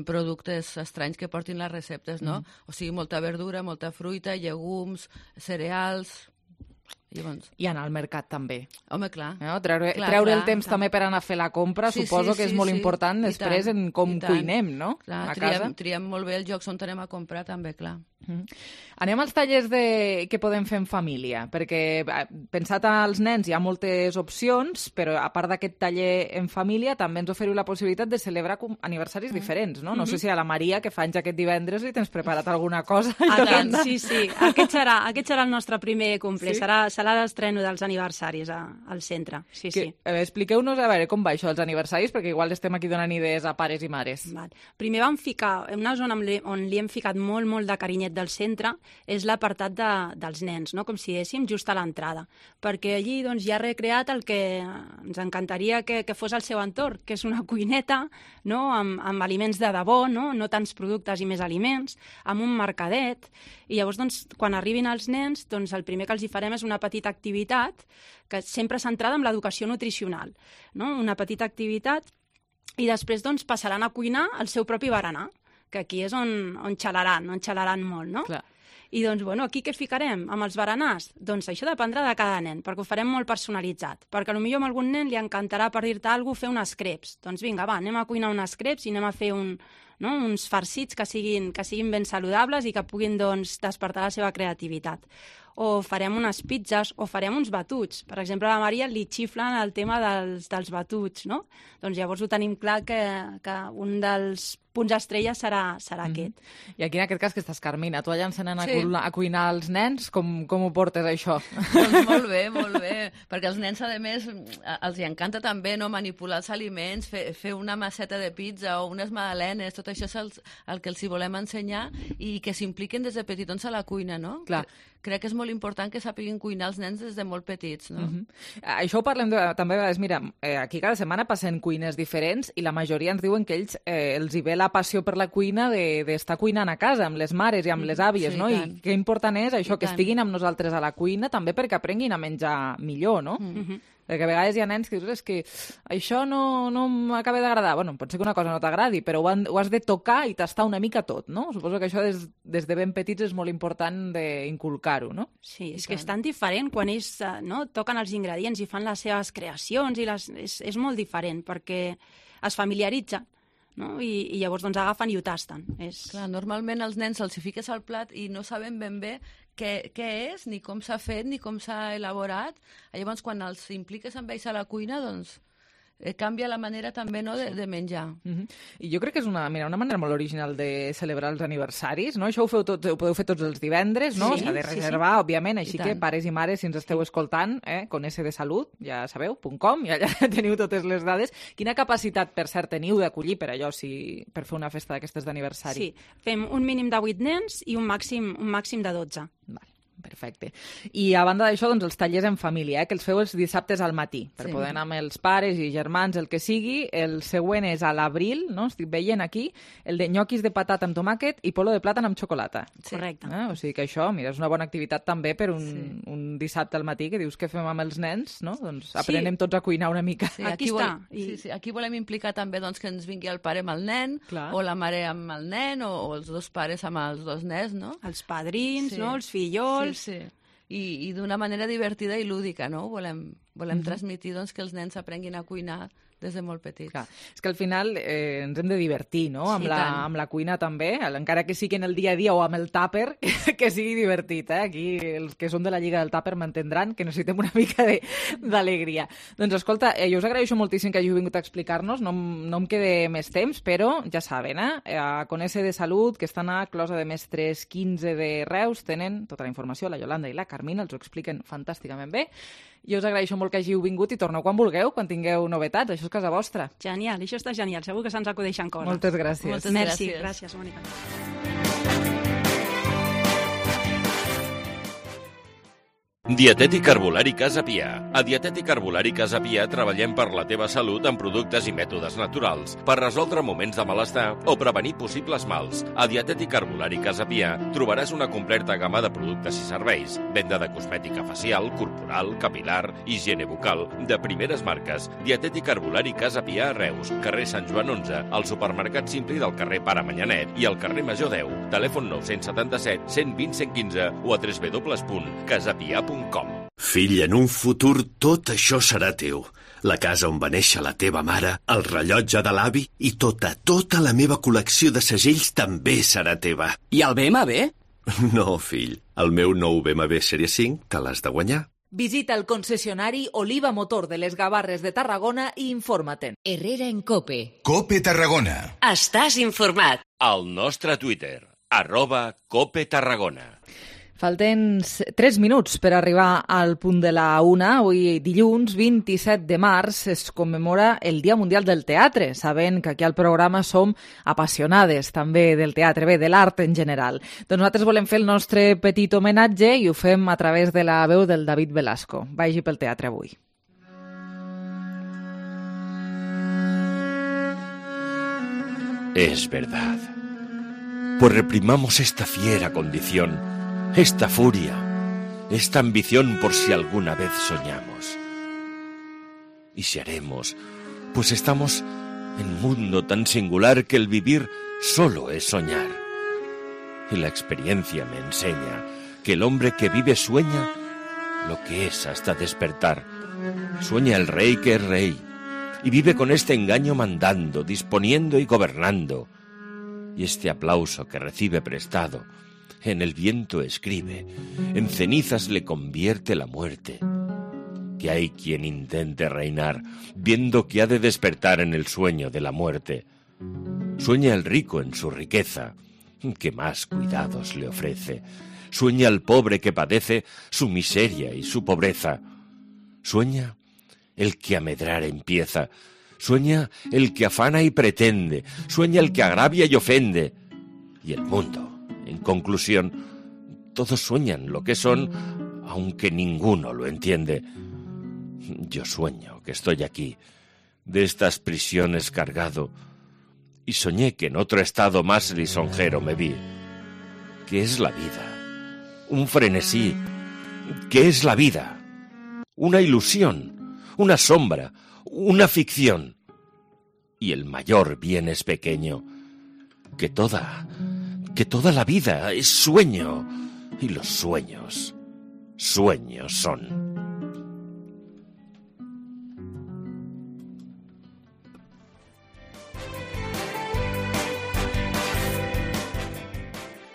productes estranys que portin les receptes, no? O sigui, molta verdura, molta fruita, llegums, cereals... I anar al mercat també. Home, clar. No? Treure el temps també per anar a fer la compra, suposo que és molt important després en com cuinem, no? Clar, triem molt bé els llocs on anem a comprar també, clar. Anem als tallers que podem fer en família, perquè pensat als nens hi ha moltes opcions, però a part d'aquest taller en família també ens oferiu la possibilitat de celebrar aniversaris diferents, no? No sé si a la Maria, que fa anys aquest divendres, li tens preparat alguna cosa. Sí, aquest serà el nostre primer cumple, serà l'estreno dels aniversaris al centre. Sí. Expliqueu-nos a veure com va això dels aniversaris, perquè igual estem aquí donant idees a pares i mares. Primer vam ficar, en una zona on li hem ficat molt de carinyet del centre, és l'apartat dels nens, no? Com si diguéssim just a l'entrada, perquè allí doncs, ja ha recreat el que ens encantaria que fos el seu entorn, que és una cuineta, no? Amb aliments de debò, no tants productes i més aliments, amb un mercadet, i llavors doncs, quan arribin els nens, doncs, el primer que els hi farem és una petita activitat que sempre centrada en l'educació nutricional, no? Una petita activitat, i després doncs, passaran a cuinar el seu propi berenar, que aquí és on xalaran molt, no? Clar. I doncs, aquí què ficarem amb els berenars? Doncs això dependrà de cada nen, perquè ho farem molt personalitzat. Perquè potser a algun nen li encantarà, per dir-te alguna cosa, fer unes crepes. Doncs vinga, anem a cuinar unes crepes i anem a fer uns farcits que siguin ben saludables i que puguin despertar la seva creativitat. O farem unes pizzas, o farem uns batuts. Per exemple, a la Maria li xiflen el tema dels batuts, no? Doncs llavors ho tenim clar que un dels punts estrella serà aquest. I aquí, en aquest cas, que estàs, Carmina, tu allà encenant a cuinar els nens, com ho portes, això? Doncs molt bé, perquè als nens, a més, els encanta també manipular els aliments, fer una masseta de pizza o unes magdalenes, tot això és el que els hi volem ensenyar i que s'impliquen des de petitons a la cuina, no? Clar. Crec que és molt important que sàpiguin cuinar els nens des de molt petits, no? Això ho parlem també a vegades. Mira, aquí cada setmana passen cuines diferents i la majoria ens diuen que ells els hi ve la passió per la cuina d'estar cuinant a casa, amb les mares i amb les àvies, no? I que important és això, que estiguin amb nosaltres a la cuina, també perquè aprenguin a menjar millor, no? Perquè a vegades hi ha nens que dius, és que això no m'acaba d'agradar. Bueno, pot ser que una cosa no t'agradi, però ho has de tocar i tastar una mica tot, no? Suposo que això des de ben petits és molt important d'inculcar-ho, no? Sí, és que és tan diferent quan ells toquen els ingredients i fan les seves creacions, és molt diferent perquè es familiaritzen. No? I llavors agafen i ho tasten. Clar, normalment els nens els hi fiques al plat i no saben ben bé què és, ni com s'ha fet, ni com s'ha elaborat. Llavors, quan els impliques amb ells a la cuina, doncs canvia la manera també de menjar. I jo crec que és una manera molt original de celebrar els aniversaris, no? Això ho podeu fer tots els divendres, no? S'ha de reservar, òbviament, així que pares i mares, si ens esteu escoltant, con S de salut, ja sabeu, .com, i allà teniu totes les dades. Quina capacitat, per cert, teniu d'acollir per allò, per fer una festa d'aquestes d'aniversari? Sí, fem un mínim de 8 nens i un màxim de 12. Vale. Perfecte. I a banda d'això, doncs, els tallers en família, que els feu els dissabtes al matí, per poder anar amb els pares i germans, el que sigui. El següent és a l'abril, no? Estic veient aquí, el de nyoquis de patata amb tomàquet i polo de plàtan amb xocolata. Correcte. O sigui que això, mira, és una bona activitat també per un dissabte al matí, que dius que fem amb els nens, no? Doncs aprenem tots a cuinar una mica. Sí, aquí volem implicar també que ens vingui el pare amb el nen, o la mare amb el nen, o els dos pares amb els dos nens, no? Els padrins, no? Els fillols. Sí. I d'una manera divertida i lúdica, no? Volem transmetir que els nens aprenguin a cuinar des de molt petits. Clar. És que al final ens hem de divertir, no? Amb la cuina també, encara que sigui en el dia a dia o amb el tàper, que sigui divertit. Aquí els que són de la Lliga del Tàper m'entendran que necessitem una mica d'alegria. Doncs escolta, jo us agraeixo moltíssim que hàgiu vingut a explicar-nos, no em quede més temps, però ja saben, a Conese de Salut, que estan a Closa de Mestres 15 de Reus, tenen tota la informació, la Yolanda i la Carmina, els ho expliquen fantàsticament bé. Jo us agraeixo molt que hàgiu vingut i torneu quan vulgueu, quan tingueu novetats. Això és casa vostra. Genial, això està genial. Segur que se'ns acudeixen coses. Moltes gràcies. Merci, gràcies, Mònica. Dietètic Herbolari Casa Pia. A Dietètic Herbolari Casa Pia treballem per la teva salut amb productes i mètodes naturals per resoldre moments de malestar o prevenir possibles mals. A Dietètic Herbolari Casa Pia trobaràs una completa gamma de productes i serveis, venda de cosmètica facial, corporal, capilar, higiene bucal, de primeres marques. Dietètic Herbolari Casa Pia a Reus, carrer Sant Joan 11, al supermercat Simpli del carrer Pare Manyanet i al carrer Major 10. Telèfon 977 120 115 o a www.casapia.com. Fill, en un futur tot això serà teu. La casa on va néixer la teva mare, el rellotge de l'avi i tota la meva col·lecció de segells també serà teva. I el BMW? No, fill. El meu nou BMW Sèrie 5 te l'has de guanyar. Visita el concessionari Oliva Motor de les Gavarres de Tarragona i informa-te'n. Herrera en COPE. COPE Tarragona. Estàs informat. Al nostre Twitter, @COPE Tarragona. Falten 3 minuts per arribar al punt de la 1. Avui, dilluns 27 de març, es commemora el Dia Mundial del Teatre, sabent que aquí al programa som apassionades també del teatre, de l'art en general. Doncs nosaltres volem fer el nostre petit homenatge i ho fem a través de la veu del David Velasco. Vagi pel teatre avui. Es verdad. Pues reprimamos esta fiera condición, esta furia, esta ambición por si alguna vez soñamos. Y si haremos, pues estamos en un mundo tan singular que el vivir solo es soñar. Y la experiencia me enseña que el hombre que vive sueña lo que es hasta despertar. Sueña el rey que es rey, y vive con este engaño mandando, disponiendo y gobernando. Y este aplauso que recibe prestado, en el viento escribe, en cenizas le convierte la muerte. Que hay quien intente reinar, viendo que ha de despertar en el sueño de la muerte. Sueña el rico en su riqueza, que más cuidados le ofrece. Sueña el pobre que padece su miseria y su pobreza. Sueña el que a medrar empieza. Sueña el que afana y pretende. Sueña el que agravia y ofende. Y el mundo, en conclusión, todos sueñan lo que son, aunque ninguno lo entiende. Yo sueño que estoy aquí, de estas prisiones cargado, y soñé que en otro estado más lisonjero me vi. ¿Qué es la vida? Un frenesí. ¿Qué es la vida? Una ilusión. una sombra, una ficción. Y el mayor bien es pequeño, que toda la vida es sueño, y los sueños son.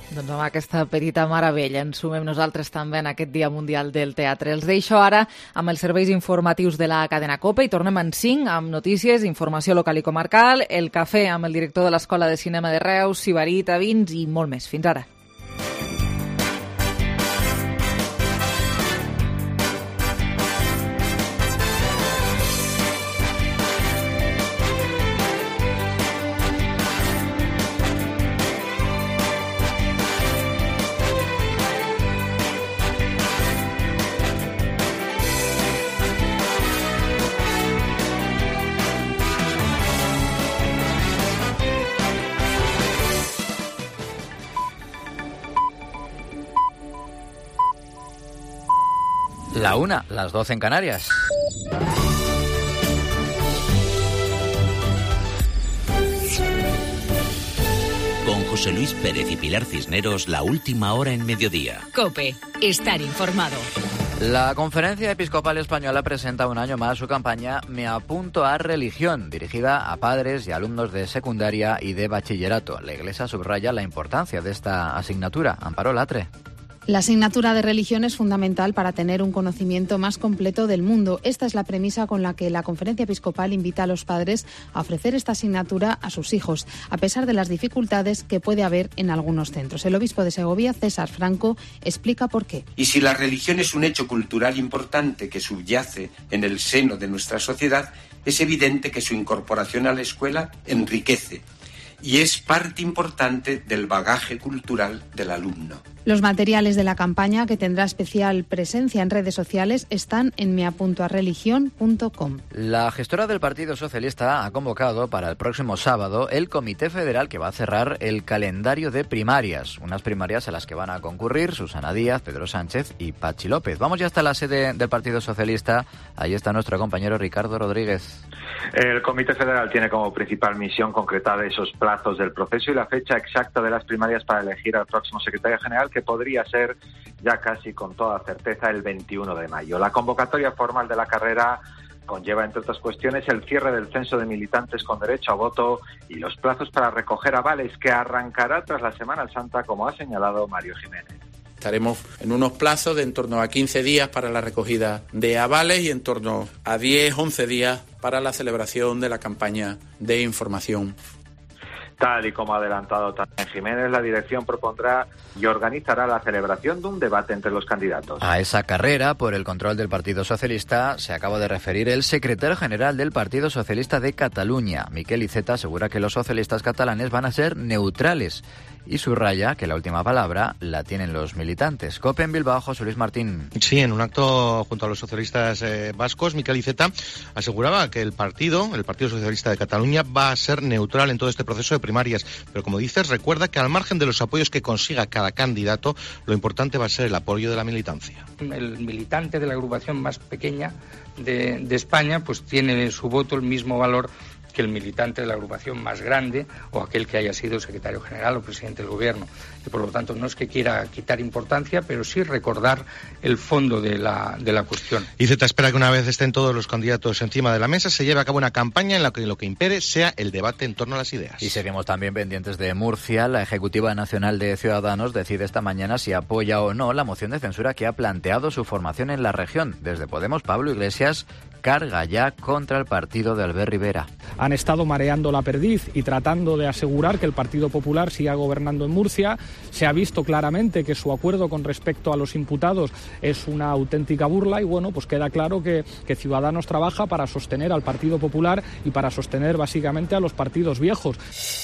Doncs amb aquesta petita meravella ens sumem nosaltres també en aquest Dia Mundial del Teatre. Els deixo ara amb els serveis informatius de la cadena COPE i tornem en 5 amb notícies, informació local i comarcal, el cafè amb el director de l'Escola de Cinema de Reus, Sibarita, vins i molt més. Fins ara. La 1, las 12 en Canarias. Con José Luis Pérez y Pilar Cisneros, la última hora en mediodía. COPE, estar informado. La Conferencia Episcopal Española presenta un año más su campaña Me apunto a religión, dirigida a padres y alumnos de secundaria y de bachillerato. La Iglesia subraya la importancia de esta asignatura. Amparo Latre. La asignatura de religión es fundamental para tener un conocimiento más completo del mundo. Esta es la premisa con la que la Conferencia Episcopal invita a los padres a ofrecer esta asignatura a sus hijos, a pesar de las dificultades que puede haber en algunos centros. El obispo de Segovia, César Franco, explica por qué. Y si la religión es un hecho cultural importante que subyace en el seno de nuestra sociedad, es evidente que su incorporación a la escuela enriquece y es parte importante del bagaje cultural del alumno. Los materiales de la campaña, que tendrá especial presencia en redes sociales, están en meapuntoareligion.com. La gestora del Partido Socialista ha convocado para el próximo sábado el Comité Federal que va a cerrar el calendario de primarias. Unas primarias a las que van a concurrir Susana Díaz, Pedro Sánchez y Patxi López. Vamos ya hasta la sede del Partido Socialista. Ahí está nuestro compañero Ricardo Rodríguez. El Comité Federal tiene como principal misión concretar esos plazos del proceso y la fecha exacta de las primarias para elegir al próximo secretario general, que podría ser ya casi con toda certeza el 21 de mayo. La convocatoria formal de la carrera conlleva, entre otras cuestiones, el cierre del censo de militantes con derecho a voto y los plazos para recoger avales, que arrancará tras la Semana Santa, como ha señalado Mario Jiménez. Estaremos en unos plazos de en torno a 15 días para la recogida de avales y en torno a 10-11 días para la celebración de la campaña de información. Tal y como ha adelantado también Jiménez, la dirección propondrá y organizará la celebración de un debate entre los candidatos. A esa carrera por el control del Partido Socialista se acaba de referir el secretario general del Partido Socialista de Cataluña. Miquel Iceta asegura que los socialistas catalanes van a ser neutrales y subraya que la última palabra la tienen los militantes. COPE en Bilbao, José Luis Martín. Sí, en un acto junto a los socialistas vascos, Miquel Iceta aseguraba que el Partido Socialista de Cataluña va a ser neutral en todo este proceso de primarias, pero como dices, recuerda que al margen de los apoyos que consiga cada candidato, lo importante va a ser el apoyo de la militancia. El militante de la agrupación más pequeña de España pues tiene su voto el mismo valor que el militante de la agrupación más grande o aquel que haya sido secretario general o presidente del gobierno. Y por lo tanto no es que quiera quitar importancia, pero sí recordar el fondo de la cuestión. Iceta espera que una vez estén todos los candidatos encima de la mesa se lleve a cabo una campaña en la que lo que impere sea el debate en torno a las ideas. Y seguimos también pendientes de Murcia. La Ejecutiva Nacional de Ciudadanos decide esta mañana si apoya o no la moción de censura que ha planteado su formación en la región. Desde Podemos, Pablo Iglesias carga ya contra el partido de Albert Rivera. Han estado mareando la perdiz y tratando de asegurar que el Partido Popular siga gobernando en Murcia. Se ha visto claramente que su acuerdo con respecto a los imputados es una auténtica burla y bueno, pues queda claro que Ciudadanos trabaja para sostener al Partido Popular y para sostener básicamente a los partidos viejos.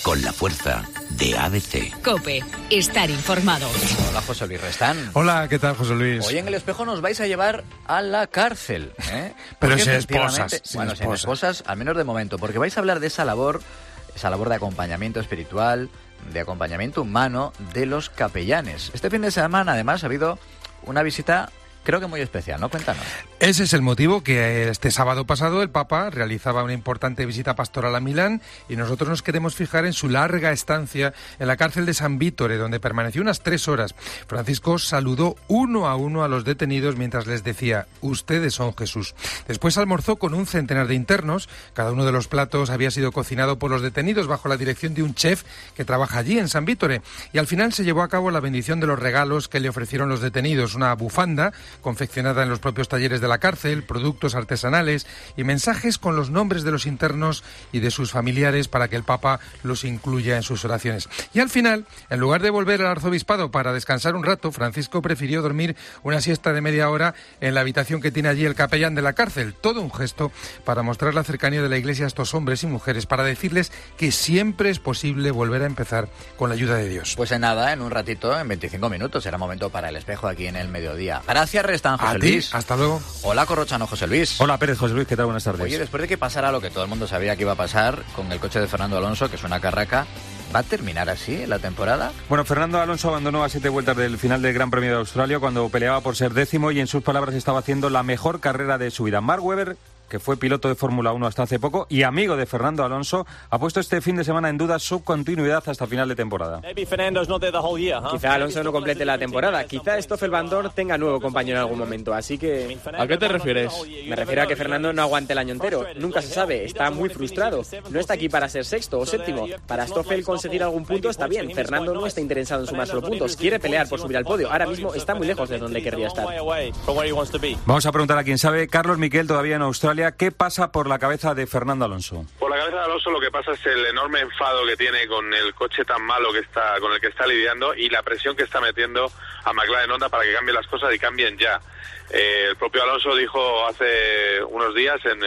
Con la fuerza de ABC. COPE, estar informado. Hola, José Luis Restán. Hola, ¿qué tal, José Luis? Hoy en El Espejo nos vais a llevar a la cárcel, ¿eh? Pero sin esposas. Sin esposas, al menos de momento, porque vais a hablar de esa labor de acompañamiento espiritual, de acompañamiento humano de los capellanes. Este fin de semana, además, ha habido una visita creo que muy especial, ¿no? Cuéntanos. Ese es el motivo que este sábado pasado el Papa realizaba una importante visita pastoral a Milán y nosotros nos queremos fijar en su larga estancia en la cárcel de San Vittore, donde permaneció unas 3 horas. Francisco saludó uno a uno a los detenidos mientras les decía: ustedes son Jesús. Después almorzó con un centenar de internos. Cada uno de los platos había sido cocinado por los detenidos bajo la dirección de un chef que trabaja allí en San Vittore. Y al final se llevó a cabo la bendición de los regalos que le ofrecieron los detenidos: una bufanda confeccionada en los propios talleres de la cárcel, productos artesanales y mensajes con los nombres de los internos y de sus familiares para que el Papa los incluya en sus oraciones. Y al final, en lugar de volver al arzobispado para descansar un rato, Francisco prefirió dormir una siesta de media hora en la habitación que tiene allí el capellán de la cárcel. Todo un gesto para mostrar la cercanía de la Iglesia a estos hombres y mujeres, para decirles que siempre es posible volver a empezar con la ayuda de Dios. Pues en nada, en un ratito, en 25 minutos, será momento para el espejo aquí en el mediodía. Gracias, Restan, José Luis. Hasta luego. Hola, Corrochano, José Luis. Hola, Pérez, José Luis, ¿qué tal? Buenas tardes. Oye, después de que pasara lo que todo el mundo sabía que iba a pasar con el coche de Fernando Alonso, que es una carraca, ¿va a terminar así la temporada? Bueno, Fernando Alonso abandonó a 7 vueltas del final del Gran Premio de Australia cuando peleaba por ser 10º y en sus palabras estaba haciendo la mejor carrera de su vida. Mark Webber, que fue piloto de Fórmula 1 hasta hace poco y amigo de Fernando Alonso, ha puesto este fin de semana en duda su continuidad hasta final de temporada. Quizá Alonso no complete la temporada, quizá Stoffel Vandoorne tenga nuevo compañero en algún momento, así que... ¿A qué te refieres? Me refiero a que Fernando no aguante el año entero, nunca se sabe, está muy frustrado, no está aquí para ser 6º o 7º, para Stoffel conseguir algún punto está bien, Fernando no está interesado en sumar solo puntos, quiere pelear por subir al podio, ahora mismo está muy lejos de donde querría estar. Vamos a preguntar a quien sabe. Carlos Miquel, todavía en Australia. ¿Qué pasa por la cabeza de Fernando Alonso? Por la cabeza de Alonso lo que pasa es el enorme enfado que tiene con el coche tan malo con el que está lidiando y la presión que está metiendo a McLaren Honda para que cambien las cosas y cambien ya. El propio Alonso dijo hace unos días en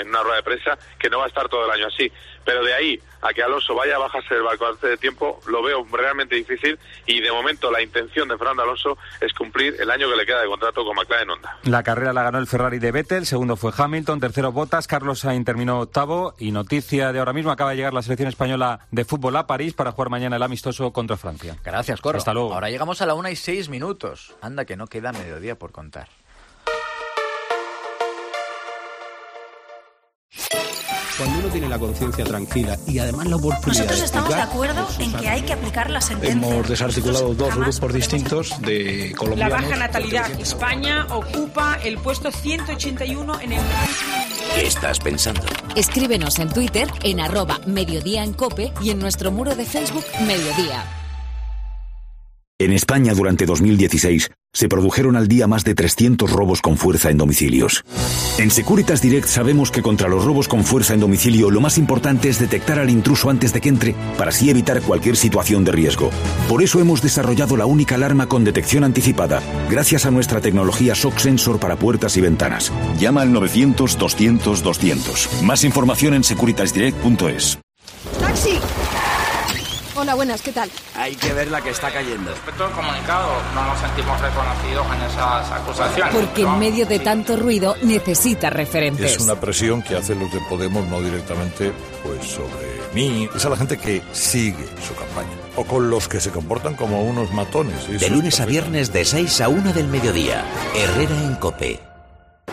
una rueda de prensa que no va a estar todo el año así, pero de ahí a que Alonso vaya a bajarse el barco antes de tiempo lo veo realmente difícil y de momento la intención de Fernando Alonso es cumplir el año que le queda de contrato con McLaren Honda. La carrera la ganó el Ferrari de Vettel, segundo fue Hamilton, tercero Bottas, Carlos Sainz terminó 8º y noticia de ahora mismo, acaba de llegar la selección española de fútbol a París para jugar mañana el amistoso contra Francia. Gracias, Corro. Hasta luego. Ahora llegamos a la 1:06. Anda que no queda mediodía por contar. Cuando uno tiene la conciencia tranquila y además la oportunidad... Nosotros estamos de acuerdo en que hay que aplicar la sentencia. Hemos desarticulado 2 grupos distintos de colombianos. La baja natalidad. España ocupa el puesto 181 en el... ¿Qué estás pensando? Escríbenos en Twitter en @Mediodía en COPE y en nuestro muro de Facebook Mediodía. En España, durante 2016, se produjeron al día más de 300 robos con fuerza en domicilios. En Securitas Direct sabemos que contra los robos con fuerza en domicilio lo más importante es detectar al intruso antes de que entre, para así evitar cualquier situación de riesgo. Por eso hemos desarrollado la única alarma con detección anticipada, gracias a nuestra tecnología Shock Sensor para puertas y ventanas. Llama al 900-200-200. Más información en securitasdirect.es. ¡Taxi! Hola, buenas, ¿qué tal? Hay que ver la que está cayendo. Respecto al comunicado, no nos sentimos reconocidos en esas acusaciones. Porque en medio de tanto ruido necesita referentes. Es una presión que hacen los de Podemos, no directamente pues sobre mí. Es a la gente que sigue su campaña. O con los que se comportan como unos matones. De lunes a viernes de 6 a 1 del mediodía. Herrera en COPE.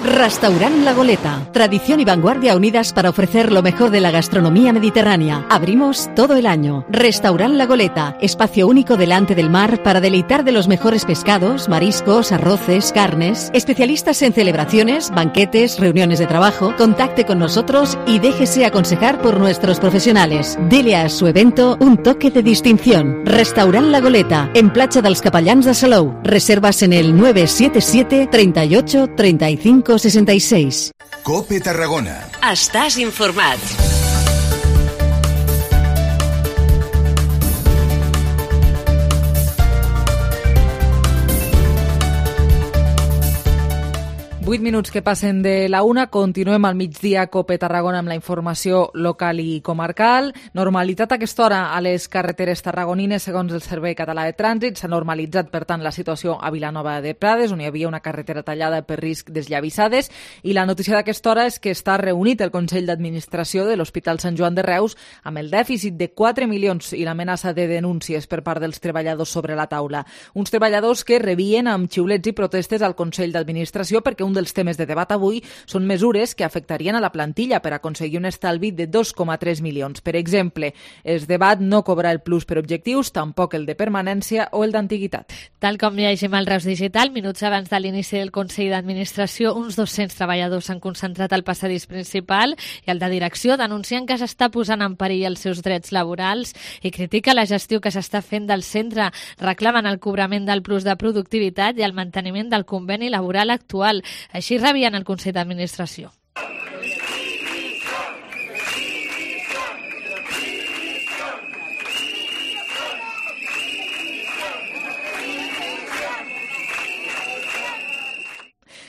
Restaurant La Goleta. Tradición y vanguardia unidas para ofrecer lo mejor de la gastronomía mediterránea. Abrimos todo el año. Restaurant La Goleta. Espacio único delante del mar para deleitar de los mejores pescados, mariscos, arroces, carnes. Especialistas en celebraciones, banquetes, reuniones de trabajo. Contacte con nosotros y déjese aconsejar por nuestros profesionales. Dele a su evento un toque de distinción. Restaurant La Goleta. En Platja dels Capellans de Salou. Reservas en el 977 38 35 66. COPE Tarragona. Estàs informat. 8 minuts que passen de la 1, continuem al migdia a COPE Tarragona amb la informació local i comarcal. Normalitat a aquesta hora a les carreteres tarragonines segons el Servei Català de Trànsit. S'ha normalitzat, per tant, la situació a Vilanova de Prades, on hi havia una carretera tallada per risc d'esllavissades. I la notícia d'aquesta hora és que està reunit el Consell d'Administració de l'Hospital Sant Joan de Reus amb el dèficit de 4 milions i l'amenaça de denúncies per part dels treballadors sobre la taula. Uns treballadors que rebien amb xiulets i protestes al Consell d'Administració perquè un dels temes de debat avui són mesures que afectarien a la plantilla per aconseguir un estalvi de 2,3 milions. Per exemple, es debat no cobrar el plus per objectius, tampoc el de permanència o el d'antiguitat. Tal com llegim al Reus Digital, minuts abans de l'inici del Consell d'Administració, uns 200 treballadors s'han concentrat al passadís principal i el de direcció denuncien que s'està posant en perill els seus drets laborals i critica la gestió que s'està fent del centre. Reclamen el cobrament del plus de productivitat i el manteniment del conveni laboral actual. Així rebien el Consell d'Administració.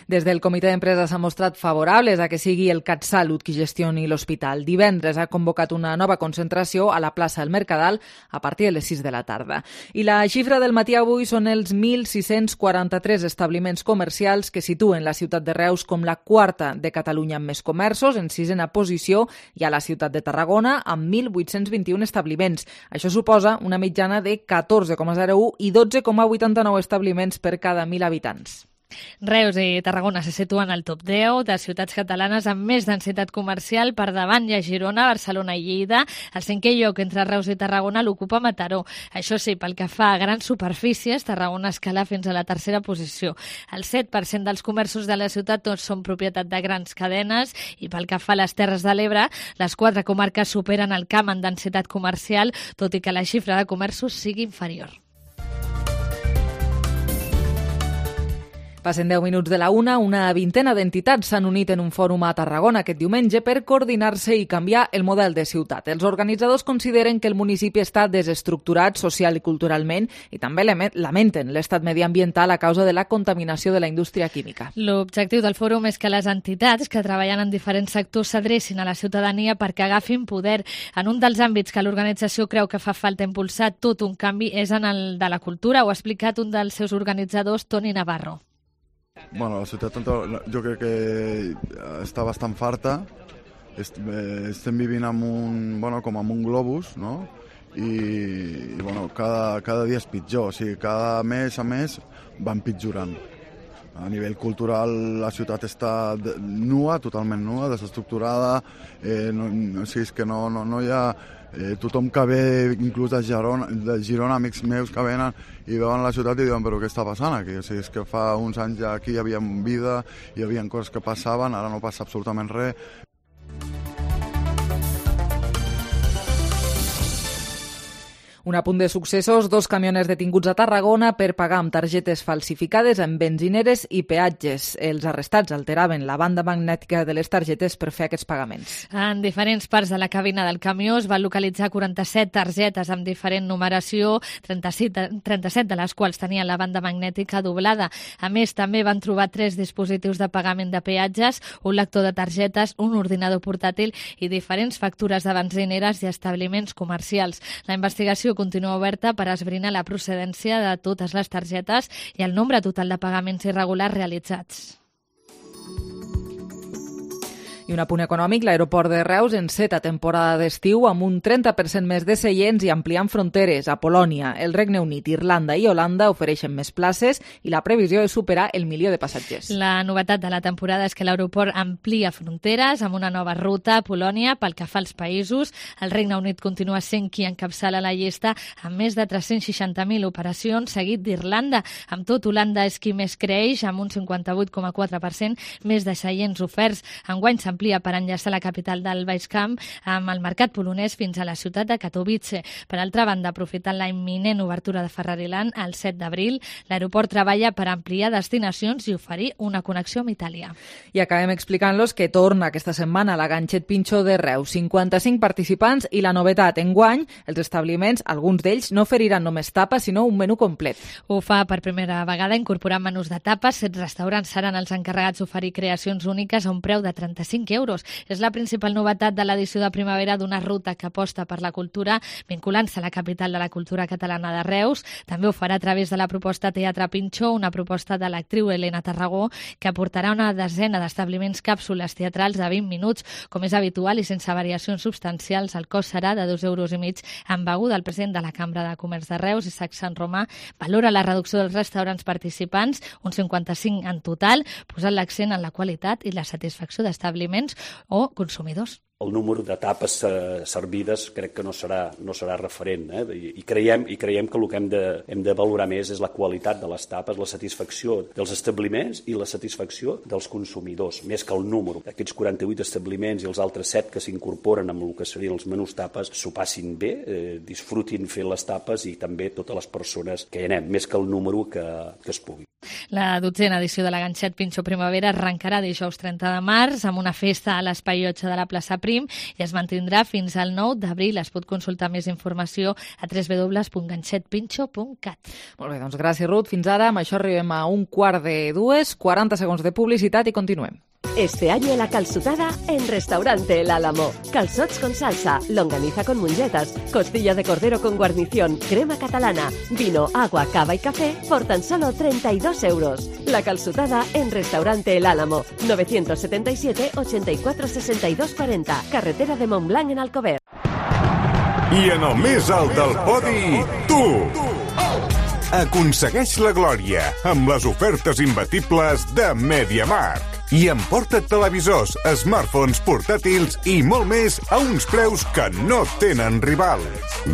Des del comitè d'empresa s'han mostrat favorables a que sigui el CatSalut qui gestioni l'hospital. Divendres ha convocat una nova concentració a la plaça del Mercadal a partir de les 6 de la tarda. I la xifra del matí avui són els 1.643 establiments comercials que situen la ciutat de Reus com la quarta de Catalunya amb més comerços, en 6a posició, i a la ciutat de Tarragona amb 1.821 establiments. Això suposa una mitjana de 14,01 i 12,89 establiments per cada 1.000 habitants. Reus i Tarragona se situen al top 10 de ciutats catalanes amb més densitat comercial. Per davant hi ha Girona, Barcelona i Lleida. El 5è lloc entre Reus i Tarragona l'ocupa Mataró. Això sí, pel que fa a grans superfícies, Tarragona escala fins a la 3a posició. El 7% dels comerços de la ciutat tots són propietat de grans cadenes i pel que fa a les Terres de l'Ebre, les 4 comarques superen el Camp en densitat comercial, tot i que la xifra de comerços sigui inferior. Passen 10 minuts de la 1, una vintena d'entitats s'han unit en un fòrum a Tarragona aquest diumenge per coordinar-se i canviar el model de ciutat. Els organitzadors consideren que el municipi està desestructurat social i culturalment i també lamenten l'estat mediambiental a causa de la contaminació de la indústria química. L'objectiu del fòrum és que les entitats que treballen en diferents sectors s'adrecin a la ciutadania perquè agafin poder. En un dels àmbits que l'organització creu que fa falta impulsar tot un canvi és en el de la cultura. Ho ha explicat un dels seus organitzadors, Toni Navarro. Bueno, la ciutat jo crec que està bastant farta. Estem vivint com amb un globus, no? I cada dia és pitjor. O sigui, cada mes a mes va empitjorant. A nivell cultural la ciutat està nua, totalment nua, desestructurada. O sigui, és que no hi ha... tothom que ve, inclús de Girona, amics meus que venen i veuen la ciutat i diuen, però què està passant aquí? O sigui, és que fa uns anys ja aquí hi havia vida, hi havia coses que passaven, ara no passa absolutament res. Un apunt de successos, 2 camioners detinguts a Tarragona per pagar amb targetes falsificades en benzineres i peatges. Els arrestats alteraven la banda magnètica de les targetes per fer aquests pagaments. En diferents parts de la cabina del camió es van localitzar 47 targetes amb diferent numeració, 37 de les quals tenien la banda magnètica doblada. A més, també van trobar 3 dispositius de pagament de peatges, un lector de targetes, un ordinador portàtil i diferents factures de benzineres i establiments comercials. La investigació continua oberta per esbrinar la procedència de totes les targetes i el nombre total de pagaments irregulars realitzats. I un apunt econòmic, l'aeroport de Reus enceta temporada d'estiu amb un 30% més de seients i ampliant fronteres. A Polònia, el Regne Unit, Irlanda i Holanda ofereixen més places i la previsió és superar el 1 milió de passatgers. La novetat de la temporada és que l'aeroport amplia fronteres amb una nova ruta a Polònia pel que fa als països. El Regne Unit continua sent qui encapçala la llista amb més de 360.000 operacions, seguit d'Irlanda. Amb tot, Holanda és qui més creix, amb un 58,4% més de seients oferts. Enguany s'han s'amplia per enllaçar la capital del Baix Camp amb el mercat polonès fins a la ciutat de Katowice. Per altra banda, aprofitant la imminent obertura de Ferrariland el 7 d'abril, l'aeroport treballa per ampliar destinacions i oferir una connexió amb Itàlia. I acabem explicant-los que torna aquesta setmana la Ganxet Pinxo de Reus. 55 participants i la novetat, enguany, els establiments, alguns d'ells, no oferiran només tapes, sinó un menú complet. Ho fa per primera vegada incorporant menús de tapes. 7 restaurants seran els encarregats d'oferir creacions úniques a un preu de 35 euros. És la principal novetat de l'edició de primavera d'una ruta que aposta per la cultura, vinculant-se a la capital de la cultura catalana de Reus. També ho farà a través de la proposta Teatre Pinxo, una proposta de l'actriu Helena Tarragó, que aportarà una desena d'establiments càpsules teatrals de 20 minuts, com és habitual i sense variacions substancials. El cost serà de 2,5 euros amb beguda. El president de la Cambra de Comerç de Reus, Isaac Sant Romà, valora la reducció dels restaurants participants, uns 55 en total, posant l'accent en la qualitat i la satisfacció d'establiments o consumidors. El número de tapes servides crec que no serà referent, I creiem que el que hem de valorar més és la qualitat de les tapes, la satisfacció dels establiments i la satisfacció dels consumidors, més que el número. Aquests 48 establiments i els altres 7 que s'incorporen amb el que serien els menús tapes s'ho passin bé, disfrutin fent les tapes i també totes les persones que hi anem, més que el número que es pugui. La 12a edició de la Ganxet Pinxo Primavera arrencarà dijous 30 de març amb una festa a l'Espai 8 de la plaça Prim i es mantindrà fins al 9 d'abril. Es pot consultar més informació a www.ganxetpinxo.cat. Molt bé, doncs gràcies, Ruth. Fins ara, amb això arribem a 1:45, 40 segons de publicitat i continuem. Este año la calçotada en Restaurante El Álamo. Calzots con salsa, longaniza con mungetas, costilla de cordero con guarnición, crema catalana, vino, agua, cava y café por tan solo 32 euros. La calçotada en Restaurante El Álamo, 977 84 62 40, carretera de Montblanc en Alcover. I en el més alt del podi, tu! Aconsegueix la glòria amb les ofertes imbatibles de MediaMarkt. I emporta't televisors, smartphones, portàtils i molt més a uns preus que no tenen rival.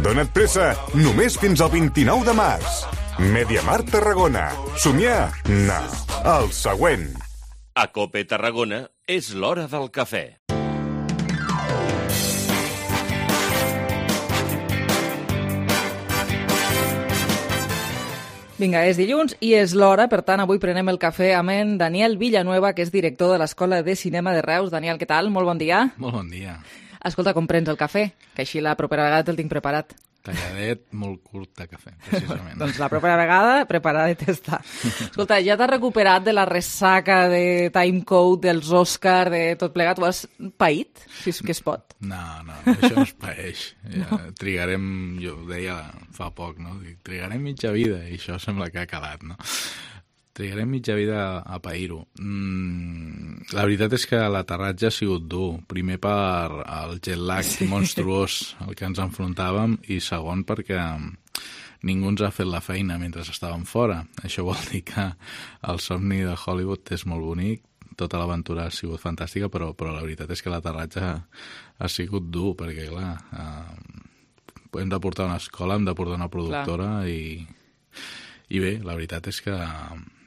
Dona't pressa, només fins al 29 de març. MediaMarkt Tarragona. Somiar? No. El següent. A COPE Tarragona és l'hora del cafè. Vinga, és dilluns i és l'hora, per tant, avui prenem el cafè amb en Daniel Villanueva, que és director de l'Escola de Cinema de Reus. Daniel, què tal? Molt bon dia. Molt bon dia. Escolta, com prens el cafè? Que així la propera vegada te'l tinc preparat. Talladet, molt curt de cafè, precisament. Doncs la propera vegada, preparadet està. Escolta, ja t'has recuperat de la ressaca de Timecode, dels Òscar, de tot plegat? Ho has paït, si és que es pot? No, això no es paeix. Ja, trigarem, jo ho deia fa poc, no? Trigarem mitja vida, i això sembla que ha quedat, no? Trigarem mitja vida a pair-ho. La veritat és que l'aterratge ha sigut dur. Primer per el jet lag monstruós al que ens enfrontàvem i segon perquè ningú ens ha fet la feina mentre estàvem fora. Això vol dir que el somni de Hollywood és molt bonic, tota l'aventura ha sigut fantàstica, però la veritat és que l'aterratge ha sigut dur perquè, clar, hem de portar una escola, hem de portar una productora i bé, la veritat és que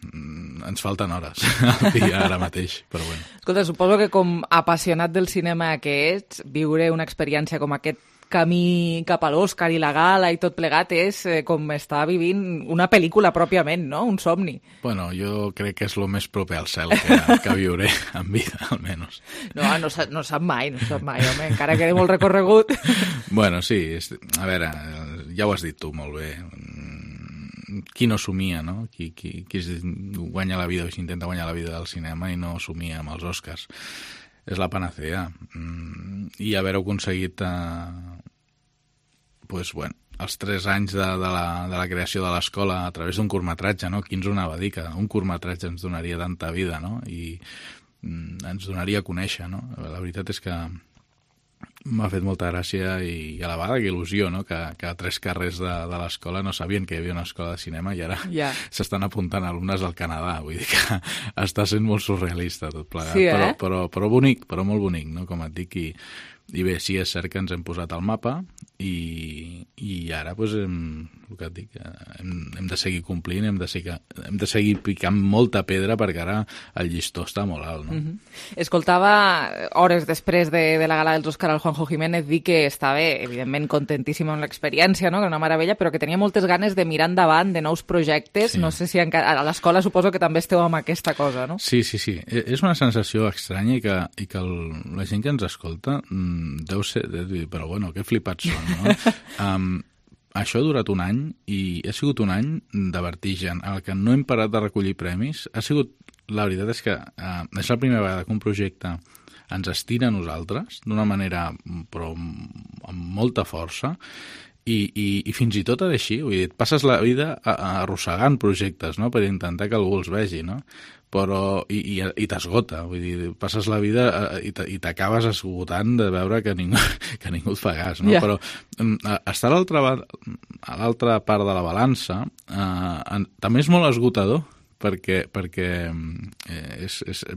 ens falten hores al dia ara mateix, però bueno. Escolta, suposo que com apassionat del cinema que ets, viure una experiència com aquest camí cap a l'Òscar i la gala i tot plegat és com estar vivint una pel·lícula pròpiament, no? Un somni. Bueno, jo crec que és el més proper al cel que viuré en vida, almenys. No sap mai, home, encara queda molt recorregut. Bueno, sí, a veure, ja ho has dit tu molt bé. Qui no somia, no? Qui guanya la vida o s'intenta guanyar la vida del cinema i no somia amb els Oscars. És la panacea. I haver-ho aconseguit els 3 anys de la creació de l'escola a través d'un curtmetratge, no? Qui ens ho anava a dir que un curtmetratge ens donaria tanta vida, no? I ens donaria a conèixer, no? La veritat és que m'ha fet molta gràcia i a la vegada que il·lusió, no? Que a 3 carrers de l'escola no sabien que hi havia una escola de cinema i ara s'estan apuntant alumnes al Canadà. Vull dir que està sent molt surrealista tot plegat, sí, però bonic, però molt bonic, no? Com et dic, i bé, sí, és cert que ens hem posat al mapa i ara el que et dic, hem de seguir complint, hem de seguir picant molta pedra perquè ara el llistó està molt alt, no? Escoltava hores després de la gala dels Òscar al Juanjo Jiménez dir que estava, evidentment, contentíssim amb l'experiència, no? Que era una meravella, però que tenia moltes ganes de mirar endavant, de nous projectes. Sí. No sé si a l'escola suposo que també esteu amb aquesta cosa, no? Sí. És una sensació estranya i que la gent que ens escolta deu dir, però bueno, que flipats són, no? Això ha durat un any i ha sigut un any de vertigen en el que no hem parat de recollir premis. La veritat és que és la primera vegada que un projecte ens estira a nosaltres d'una manera però amb molta força i fins i tot així, vull dir, et passes la vida arrossegant projectes, no?, per intentar que algú els vegi, no? Però i t'esgota, vull dir, passes la vida i t'acabes esgotant de veure que ningú et fa cas, no? Yeah. Però estar a l'altra part de la balança també és molt esgotador, perquè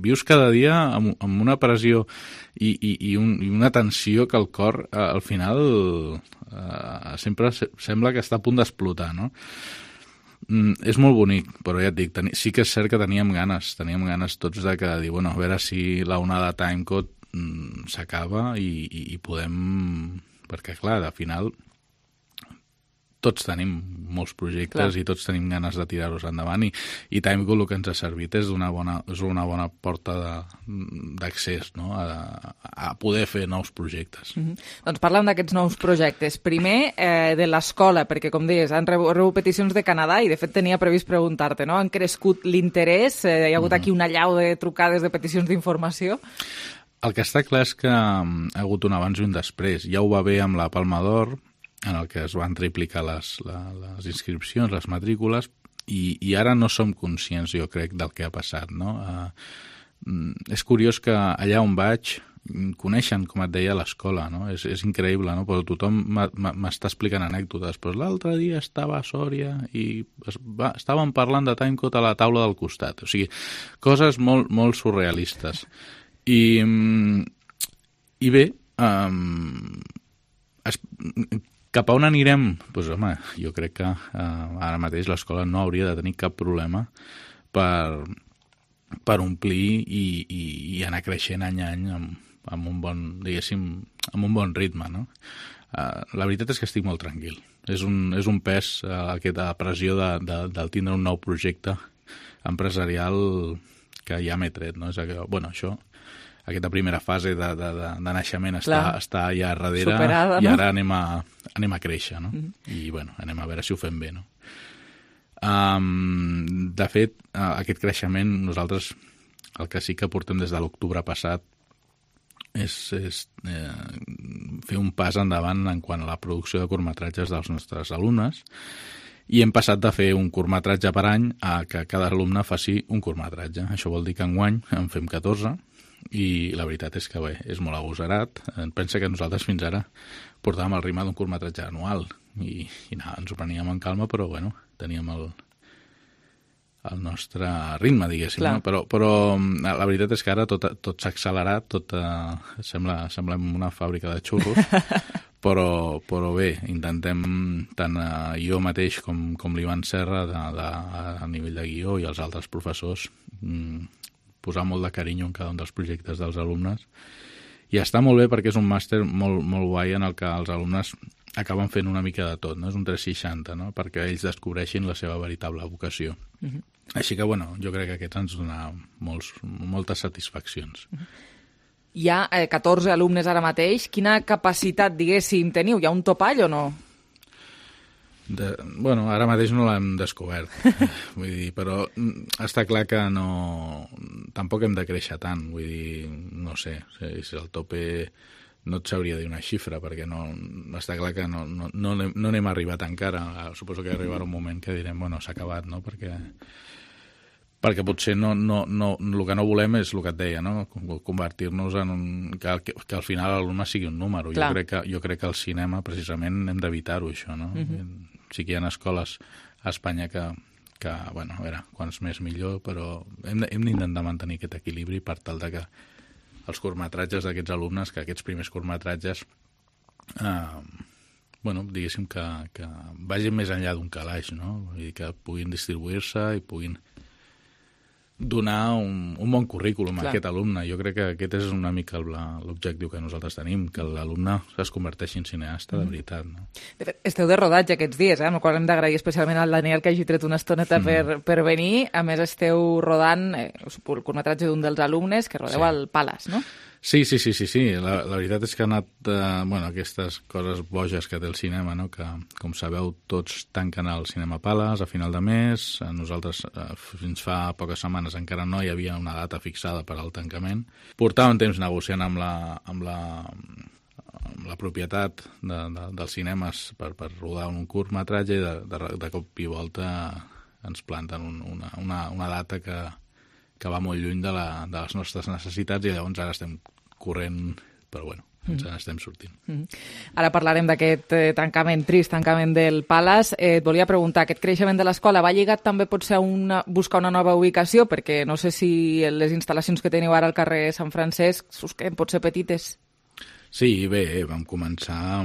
vius cada dia amb una pressió i una tensió que el cor al final sempre sembla que està a punt d'explotar, no? És molt bonic, però ja et dic, sí que és cert que teníem ganes tots de que dir, bueno, a veure si la onada Timecode s'acaba i podem... Perquè, clar, al final tots tenim molts projectes i tots tenim ganes de tirar-los endavant i Timecode el que ens ha servit és una bona porta d'accés, no? A poder fer nous projectes. Doncs parlem d'aquests nous projectes. Primer, de l'escola, perquè, com deies, han rebut peticions de Canadà i, de fet, tenia previst preguntar-te, no? Han crescut l'interès? Hi ha hagut aquí una allau de trucades de peticions d'informació? El que està clar és que ha hagut un abans i un després. Ja ho va bé amb la Palma d'Or, en el que es van triplicar les inscripcions, les matrícules, i ara no som conscients, jo crec, del que ha passat, no? És curiós que allà on vaig coneixen, com et deia, l'escola, no? És increïble, no? Però tothom m'està explicant anècdotes. Però l'altre dia estava a Sòria i estàvem parlant de Timecode a la taula del costat. O sigui, coses molt, molt surrealistes. I bé, cap a on anirem? Doncs, home, jo crec que ara mateix l'escola no hauria de tenir cap problema per omplir i anar creixent any a any amb un bon, diguéssim, amb un bon ritme, no? La veritat és que estic molt tranquil. És un pes, aquesta pressió del tindre un nou projecte empresarial que ja m'he tret, no? És que, bueno, aquesta primera fase de naixement està ja darrere. Superada, no? I ara anem a créixer, no? I, bueno, anem a veure si ho fem bé, no? De fet, aquest creixement, nosaltres el que sí que portem des de l'octubre passat és fer un pas endavant en quant a la producció de curtmetratges dels nostres alumnes i hem passat de fer un curtmetratge per any a que cada alumne faci un curtmetratge. Això vol dir que enguany en fem 14 i la veritat és que bé, és molt agosarat. Pensa que nosaltres fins ara portàvem el ritme d'un curtmetratge anual i ens ho preníem en calma, però bueno, teníem el nostre ritme, diguéssim, no? Però la veritat és que ara tot s'ha accelerat, tot semblem una fàbrica de xurros, però bé, intentem tant jo mateix com l'Ivan Serra a nivell de guió i els altres professors posar molt de carinyo en cada un dels projectes dels alumnes. I està molt bé perquè és un màster molt, molt guai en el que els alumnes acaben fent una mica de tot, no? És un 360, no? Perquè ells descobreixin la seva veritable vocació. Així que, bueno, jo crec que aquests ens dona moltes satisfaccions. Hi ha 14 alumnes ara mateix. Quina capacitat, diguéssim, teniu? Hi ha un topall o no? Bueno, ara mateix no l'hem descobert, vull dir, però està clar que tampoc hem de créixer tant, vull dir, no sé, si el tope no et sabria dir una xifra, perquè està clar que no n'hem arribat encara. Suposo que arribarà un moment que direm, bueno, s'ha acabat, no?, perquè potser el que no volem és el que et deia, no?, convertir-nos en que al final l'alumne sigui un número. Jo crec que al cinema precisament hem d'evitar-ho, això, no? Sí que hi ha escoles a Espanya que bueno, a veure, quants més millor, però hem d'intentar mantenir aquest equilibri per tal de que els curtmetratges d'aquests alumnes, que aquests primers curtmetratges bueno, diguéssim que vagin més enllà d'un calaix, no? Vull dir que puguin distribuir-se i puguin donar un bon currículum a aquest alumne. Jo crec que aquest és una mica l'objectiu que nosaltres tenim, que l'alumne es converteixi en cineasta de veritat. No? De fet, esteu de rodatge aquests dies, amb el qual hem d'agrair especialment al Daniel que hagi tret una estoneta per venir. A més, esteu rodant el curtmetratge d'un dels alumnes que rodeu al Palace, no? Sí. La veritat és que ha anat aquestes coses boges que té el cinema, no? Que, com sabeu, tots tanquen el Cinema Palace a final de mes. Nosaltres, fins fa poques setmanes, encara no hi havia una data fixada per al tancament. Portàvem temps negociant amb la propietat dels cinemes per rodar un curtmetratge i de cop i volta ens planten una data que va molt lluny de les nostres necessitats i llavors ara estem corrent, però bueno, ens n'estem sortint. Ara parlarem d'aquest trist tancament del Palace. Et volia preguntar, aquest creixement de l'escola va lligat també potser a buscar una nova ubicació? Perquè no sé si les instal·lacions que teniu ara al carrer Sant Francesc us queden potser petites. Sí, bé, vam començar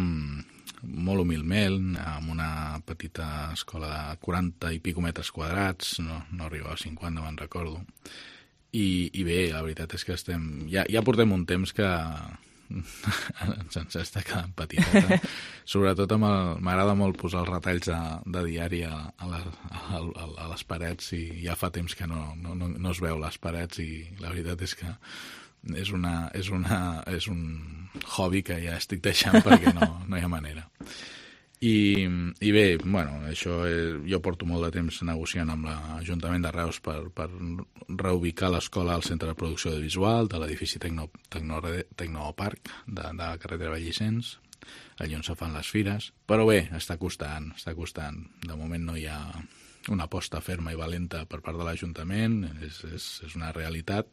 molt humilment, amb una petita escola de 40 i pico metres quadrats, no arribava a 50, me'n recordo. I bé, la veritat és que ja portem un temps que ens està quedant petiteta. Sobretot m'agrada molt posar els retalls de diari a les parets i ja fa temps que no es veu les parets i la veritat és que és un hobby que ja estic deixant perquè no hi ha manera. I bé, bueno, això jo porto molt de temps negociant amb l'Ajuntament de Reus per reubicar l'escola al centre de producció audiovisual de l'edifici Tecnoparc de la carretera Vallicens, allà on se fan les fires. Però bé, està costant. De moment no hi ha una aposta ferma i valenta per part de l'Ajuntament, és una realitat.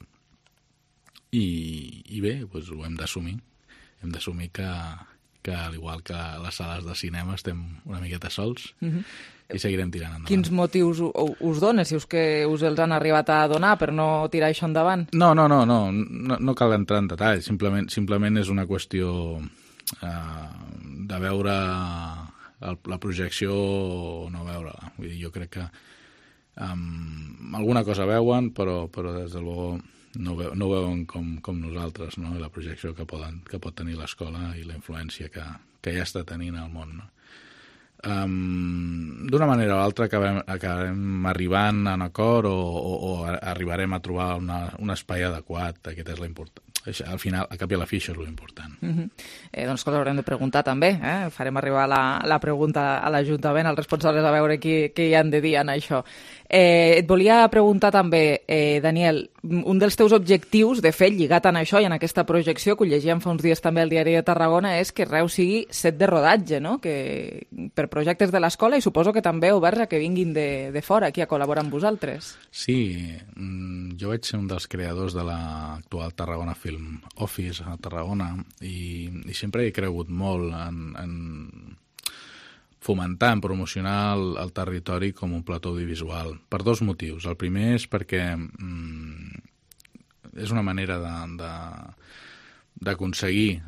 I bé, doncs ho hem d'assumir. Hem d'assumir que al igual que les sales de cinema estem una miqueta sols i seguirem tirant endavant. Quins motius us donen, si us els han arribat a donar per no tirar això endavant? No cal entrar en detall, simplement és una qüestió de veure la projecció o no veure-la. Vull dir, jo crec que alguna cosa veuen, però des de luego no veuen com nosaltres, no? La projecció que pot tenir l'escola i la influència que ja està tenint al món. No? D'una manera o altra acabarem arribant a un acord o arribarem a trobar un espai adequat. Aquest és l'important. Al final, a cap i a la fi, això és l'important. Doncs que haurem de preguntar també. Farem arribar la pregunta a l'Ajuntament, als responsables, a veure què hi han de dir en això. Et volia preguntar també, Daniel, un dels teus objectius, de fet, lligat en això i en aquesta projecció, que ho llegíem fa uns dies també al Diari de Tarragona, és que Reus sigui set de rodatge, no? Que per projectes de l'escola i suposo que també oberts a que vinguin de fora aquí a col·laborar amb vosaltres. Sí, jo vaig ser un dels creadors de l'actual Tarragona Film Office a Tarragona i sempre he cregut molt en fomentar, en promocionar el territori com un plató audiovisual, per dos motius. El primer és perquè és una manera d'aconseguir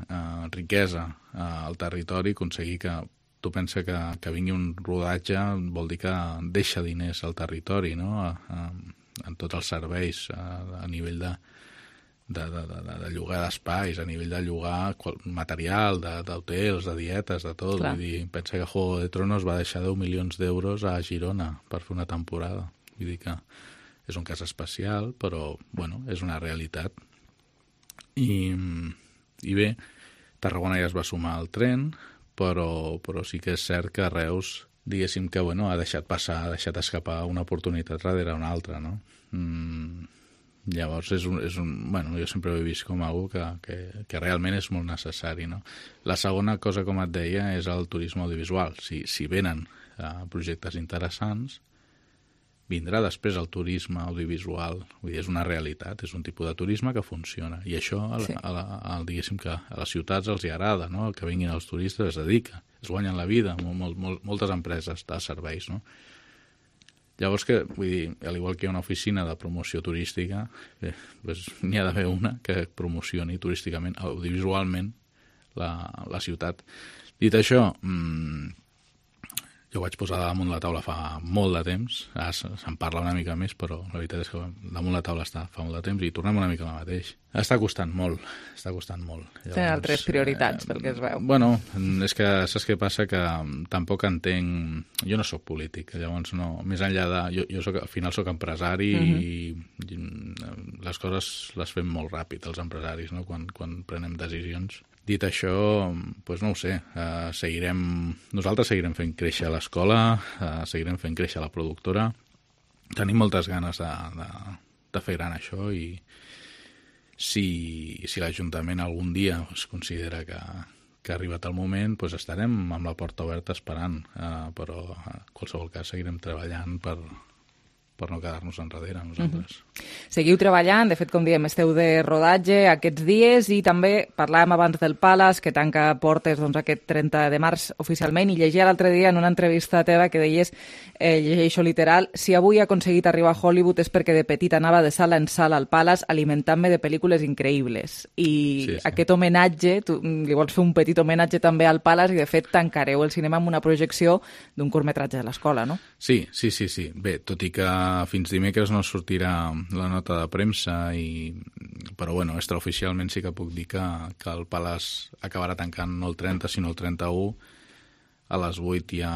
riquesa al territori, aconseguir que tu pensa que vingui un rodatge vol dir que deixa diners al territori, no? En tots els serveis, a nivell de llogar d'espais, a nivell de llogar material, d'hotels, de dietes, de tot. Vull dir, pensa que Juego de Tronos va deixar 10 milions d'euros a Girona per fer una temporada. Vull dir que és un cas especial, però, bueno, és una realitat. I bé, Tarragona ja es va sumar al tren, però sí que és cert que Reus, diguéssim que, bueno, ha deixat escapar una oportunitat darrere una altra, no? Llavors, bueno, jo sempre ho he vist com algo que realment és molt necessari, no? La segona cosa, com et deia, és el turisme audiovisual. Si venen projectes interessants, vindrà després el turisme audiovisual. Vull dir, és una realitat, és un tipus de turisme que funciona. I això, diguéssim que a les ciutats els hi agrada, no? Que vinguin els turistes, es dedica, es guanyen la vida, moltes empreses de serveis, no? Llavors, vull dir, al igual que hi ha una oficina de promoció turística, n'hi ha d'haver una que promocioni turísticament, audiovisualment, la ciutat. Dit això, jo vaig posar damunt la taula fa molt de temps, ara se'n parla una mica més, però la veritat és que damunt la taula està fa molt de temps i tornem una mica al mateix. Està costant molt. Llavors, tenen altres prioritats, pel que es veu. Bueno, és que saps què passa? Que tampoc entenc... Jo no sóc polític, llavors no... Més enllà de... Jo al final sóc empresari i les coses les fem molt ràpid, els empresaris, no? Quan prenem decisions. Dit això, doncs no ho sé, nosaltres seguirem fent créixer l'escola, seguirem fent créixer la productora, tenim moltes ganes de fer gran això i si l'Ajuntament algun dia es considera que ha arribat el moment, doncs estarem amb la porta oberta esperant, però en qualsevol cas seguirem treballant per no quedar-nos enrere nosaltres. Seguiu treballant, de fet, com diem, esteu de rodatge aquests dies i també parlàvem abans del Palace, que tanca portes aquest 30 de març oficialment, i llegia l'altre dia en una entrevista teva que deies, llegeixo literal, si avui he aconseguit arribar a Hollywood és perquè de petit anava de sala en sala al Palace alimentant-me de pel·lícules increïbles. I aquest homenatge, tu li vols fer un petit homenatge també al Palace i de fet tancareu el cinema amb una projecció d'un curtmetratge de l'escola, no? Sí. Bé, tot i que fins dimecres no sortirà la nota de premsa, però bueno, extraoficialment sí que puc dir que el Palace acabarà tancant no el 30 sinó el 31. A les 8 ja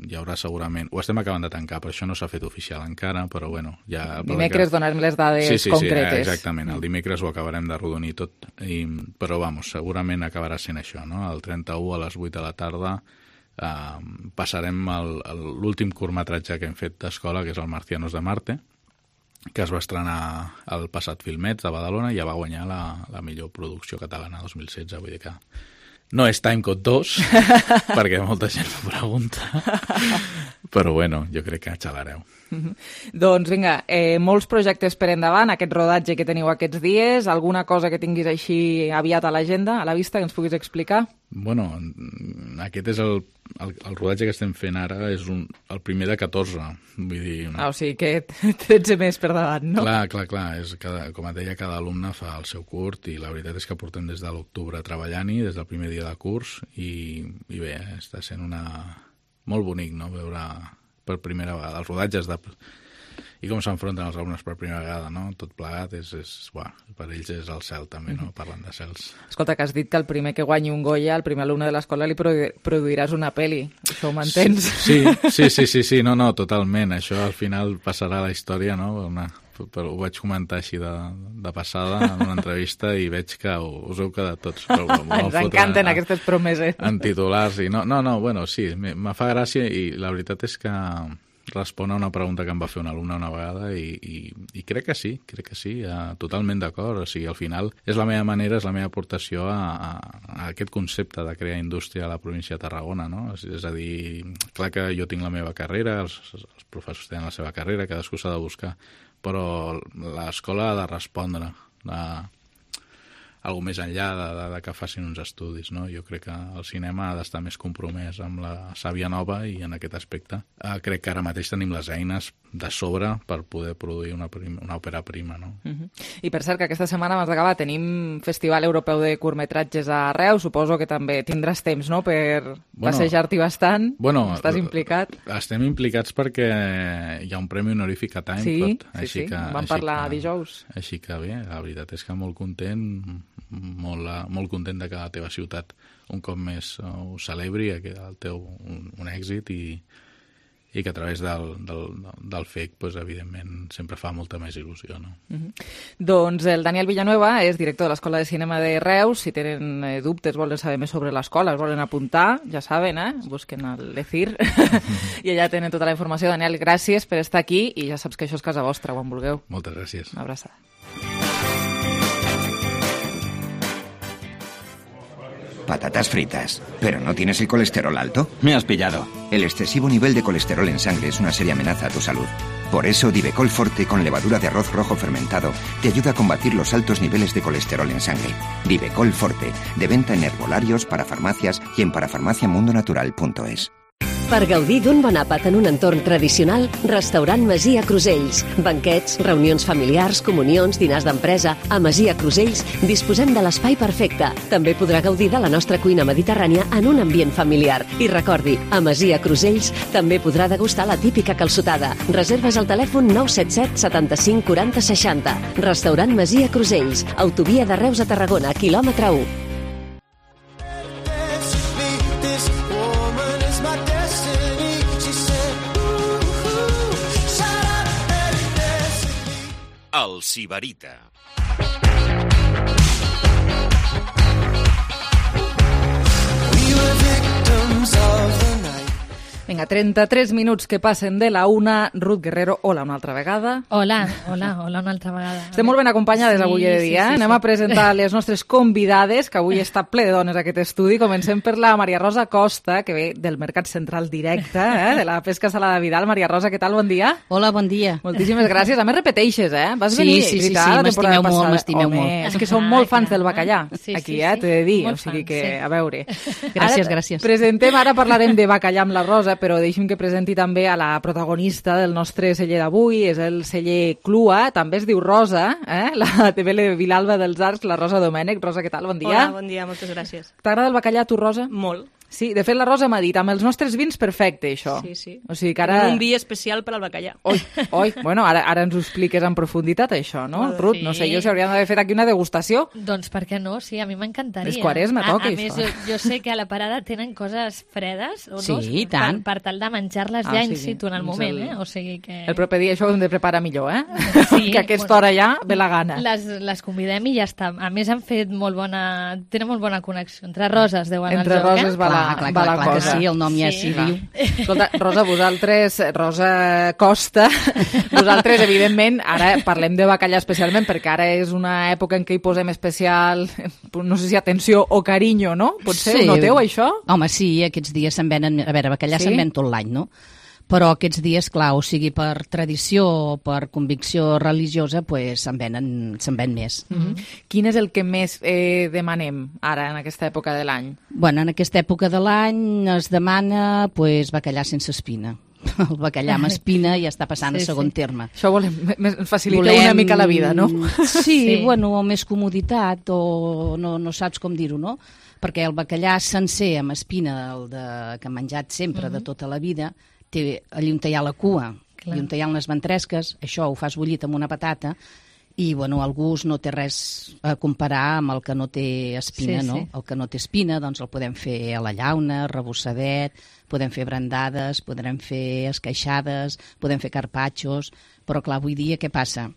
hi haurà segurament... Ho estem acabant de tancar, per això no s'ha fet oficial encara, però bueno... Dimecres donarem les dades concretes. Sí, exactament. El dimecres ho acabarem de rodonir tot. Però vamos, segurament acabarà sent això, no? El 31 a les 8 de la tarda passarem l'últim curtmetratge que hem fet d'escola, que és el Marcianos de Marte, que es va estrenar al passat Filmets de Badalona i ja va guanyar la millor producció catalana 2016, vull dir que no és Timecode 2, perquè molta gent m'ho pregunta, però bueno, jo crec que xalareu. Doncs vinga, molts projectes per endavant, aquest rodatge que teniu aquests dies, alguna cosa que tinguis així aviat a l'agenda, a la vista, que ens puguis explicar? Bueno, aquest és el rodatge que estem fent ara, és el primer de 14, vull dir... O sigui que 13 més per davant, no? Clar, com et deia, cada alumne fa el seu curt i la veritat és que portem des de l'octubre treballant-hi, des del primer dia de curs, i bé, està sent molt bonic, no?, veure per primera vegada els rodatges i com s'enfronten els alumnes per primera vegada, no? Tot plegat per ells és el cel també, no? Parlant de cels. Escolta, que has dit que el primer que guanyi un Goya, el primer alumne de l'escola, li produiràs una pel·li. Això ho mantens? Sí, no, totalment. Això al final passarà a la història, no? Però ho vaig comentar així de passada en una entrevista i veig que us heu quedat tots. Ens encanten aquestes promeses. En titulars i no, bueno, sí, me fa gràcia i la veritat és que respon a una pregunta que em va fer un alumne una vegada i crec que sí, totalment d'acord. O sigui, al final és la meva manera, és la meva aportació a aquest concepte de crear indústria a la província de Tarragona, no? És a dir, clar que jo tinc la meva carrera, els professors tenen la seva carrera, cadascú s'ha de buscar, però l'escola ha de respondre a alguna més enllà de que facin uns estudis, no? Jo crec que el cinema ha d'estar més compromès amb la sàvia nova i en aquest aspecte crec que ara mateix tenim les eines de sobre per poder produir una òpera prima, no? I per cert, que aquesta setmana, abans d'acabar, tenim Festival Europeu de Curtmetratges a Reus, suposo que també tindràs temps, no?, per passejar-t'hi bastant. Estàs implicat? Estem implicats perquè hi ha un premi honorífic a Timecode. Sí, vam parlar dijous. Així que bé, la veritat és que molt content, molt content de que la teva ciutat un cop més ho celebri, el teu un èxit i que a través del FEC, evidentment, sempre fa molta més il·lusió, no? Doncs el Daniel Villanueva és director de l'Escola de Cinema de Reus. Si tenen dubtes, volen saber més sobre l'escola, es volen apuntar, ja saben, busquen el l'ECIR i allà tenen tota la informació. Daniel, gràcies per estar aquí i ja saps que això és casa vostra, quan vulgueu. Moltes gràcies. Una abraçada. Patatas fritas. ¿Pero no tienes el colesterol alto? Me has pillado. El excesivo nivel de colesterol en sangre es una seria amenaza a tu salud. Por eso, Divecol Forte con levadura de arroz rojo fermentado te ayuda a combatir los altos niveles de colesterol en sangre. Divecol Forte, de venta en herbolarios, parafarmacias y en parafarmaciamundonatural.es. Per gaudir d'un bon àpat en un entorn tradicional, Restaurant Masia Crusells. Banquets, reunions familiars, comunions, dinars d'empresa. A Masia Crusells disposem de l'espai perfecte. També podrà gaudir de la nostra cuina mediterrània en un ambient familiar. I recordi, a Masia Crusells també podrà degustar la típica calçotada. Reserves al telèfon 977 75 40 60. Restaurant Masia Crusells. Autovia de Reus a Tarragona, quilòmetre 1. El Sibarita. Vinga, 33 minuts que passen de la 1. Ruth Guerrero, hola una altra vegada. Hola una altra vegada. Estem molt ben acompanyades avui de dia. Sí. Anem a presentar les nostres convidades, que avui està ple de dones aquest estudi. Comencem per la Maria Rosa Costa, que ve del Mercat Central Directe, de la Pesca Salada Vidal. Maria Rosa, què tal? Bon dia. Hola, bon dia. Moltíssimes gràcies. A més, repeteixes, Vas venir, veritat, la temporada passada. M'estimeu molt. És que som molt fans del bacallà, aquí, t'he de dir. Molt o sigui que, fans, a veure. Gràcies. Ara parlarem de bacallà amb la Rosa, però deixi'm que presenti també a la protagonista del nostre celler d'avui, és el celler Clua, també es diu Rosa, la TV Vilalba dels Arcs, la Rosa Domènech. Rosa, què tal? Bon dia. Hola, bon dia, moltes gràcies. T'agrada el bacallà, tu, Rosa? Molt. Sí, de fet la Rosa m'ha dit, amb els nostres vins perfecte, això. Sí. O sigui que ara... Un vi especial per al bacallà. Oi, bueno, ara ens ho expliques en profunditat, això, no? Ruth, no sé, jo s'hauríem d'haver fet aquí una degustació. Doncs per què no? Sí, a mi m'encantaria. És Quaresma, toca, això. A més, jo sé que a la parada tenen coses fredes, o no? Sí, tant. Per tal de menjar-les ja in situ en el moment, O sigui que... El proper dia això ho hem de preparar millor, Sí, que a aquesta hora ja ve la gana. Les convidem i ja està. A més, han fet tenen molt bona connexió. Entre roses deuen Entre roses va la cosa. Sí, el nom ja s'hi diu. Escolta, Rosa, Rosa Costa, vosaltres, evidentment, ara parlem de bacallà especialment, perquè ara és una època en què hi posem especial, no sé si atenció o carinyo, no? Potser ho noteu, això? Home, sí, aquests dies se'n venen... A veure, bacallà se'n ven tot l'any, no? Però aquests dies, clar, o sigui, per tradició o per convicció religiosa, pues, se'n ven més. Quin és el que més demanem ara, en aquesta època de l'any? Bueno, en aquesta època de l'any es demana pues, bacallà sense espina. El bacallà amb espina ja està passant a segon terme. Això facilita una mica la vida, no? Sí, bueno, o més comoditat, o no saps com dir-ho, no? Perquè el bacallà sencer amb espina, que hem menjat sempre de tota la vida, té allí on hi ha la cua, i on hi ha les ventresques, això ho fas bullit amb una patata, i bueno, el gust no té res a comparar amb el que no té espina, no? El que no té espina, doncs el podem fer a la llauna, rebossadet, podem fer brandades, podrem fer esqueixades, podem fer carpaccios, però clar, avui dia què passa?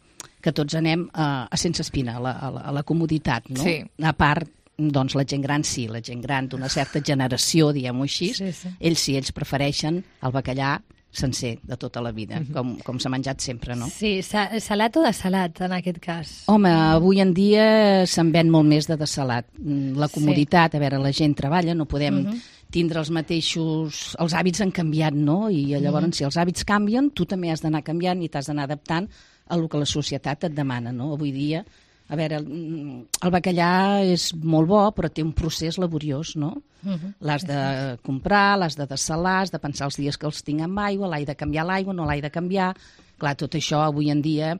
Que tots anem a sense espina, a la comoditat, no? Sí. A part, doncs la gent gran sí, la gent gran d'una certa generació, diguem-ho així, ells prefereixen el bacallà sencer de tota la vida, com s'ha menjat sempre, no? Sí, salat o desalat, en aquest cas? Home, avui en dia se'n ven molt més de desalat. La comoditat, a veure, la gent treballa, no podem tindre els mateixos... Els hàbits han canviat, no? I llavors, si els hàbits canvien, tu també has d'anar canviant i t'has d'anar adaptant a el que la societat et demana, no? Avui dia... A veure, el bacallà és molt bo, però té un procés laboriós, no? L'has de comprar, l'has de dessalar, has de pensar els dies que els tinc amb aigua, l'hai de canviar l'aigua, no l'hai de canviar... Clar, tot això avui en dia...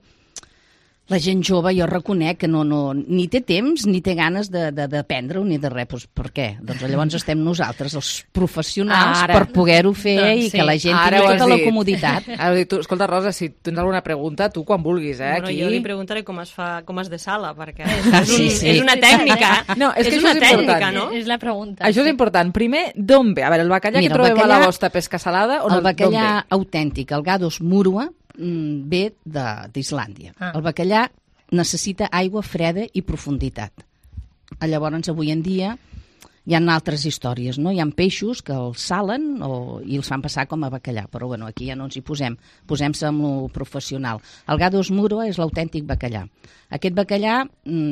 La gent jove, jo reconec que ni té temps ni té ganes d'aprendre-ho ni de res. Doncs per què? Doncs llavors estem nosaltres, els professionals, per poder-ho fer i que la gent tingui tota la comoditat. Escolta, Rosa, si tens alguna pregunta, tu quan vulguis, Bueno, aquí... jo li preguntaré com es dessala, perquè és una tècnica. No, és que és això una és tècnica, important. no? És la pregunta. Això és important. Primer, d'on ve? A veure, el bacallà que trobem a la vostra pesca salada... El bacallà autèntic, el Gados murua, ve d'Islàndia. El bacallà necessita aigua freda i profunditat. Llavors, avui en dia, hi ha altres històries, no? Hi ha peixos que els salen i els fan passar com a bacallà, però bueno, aquí ja no ens hi posem. Posem-se amb lo professional. El Gados murua és l'autèntic bacallà. Aquest bacallà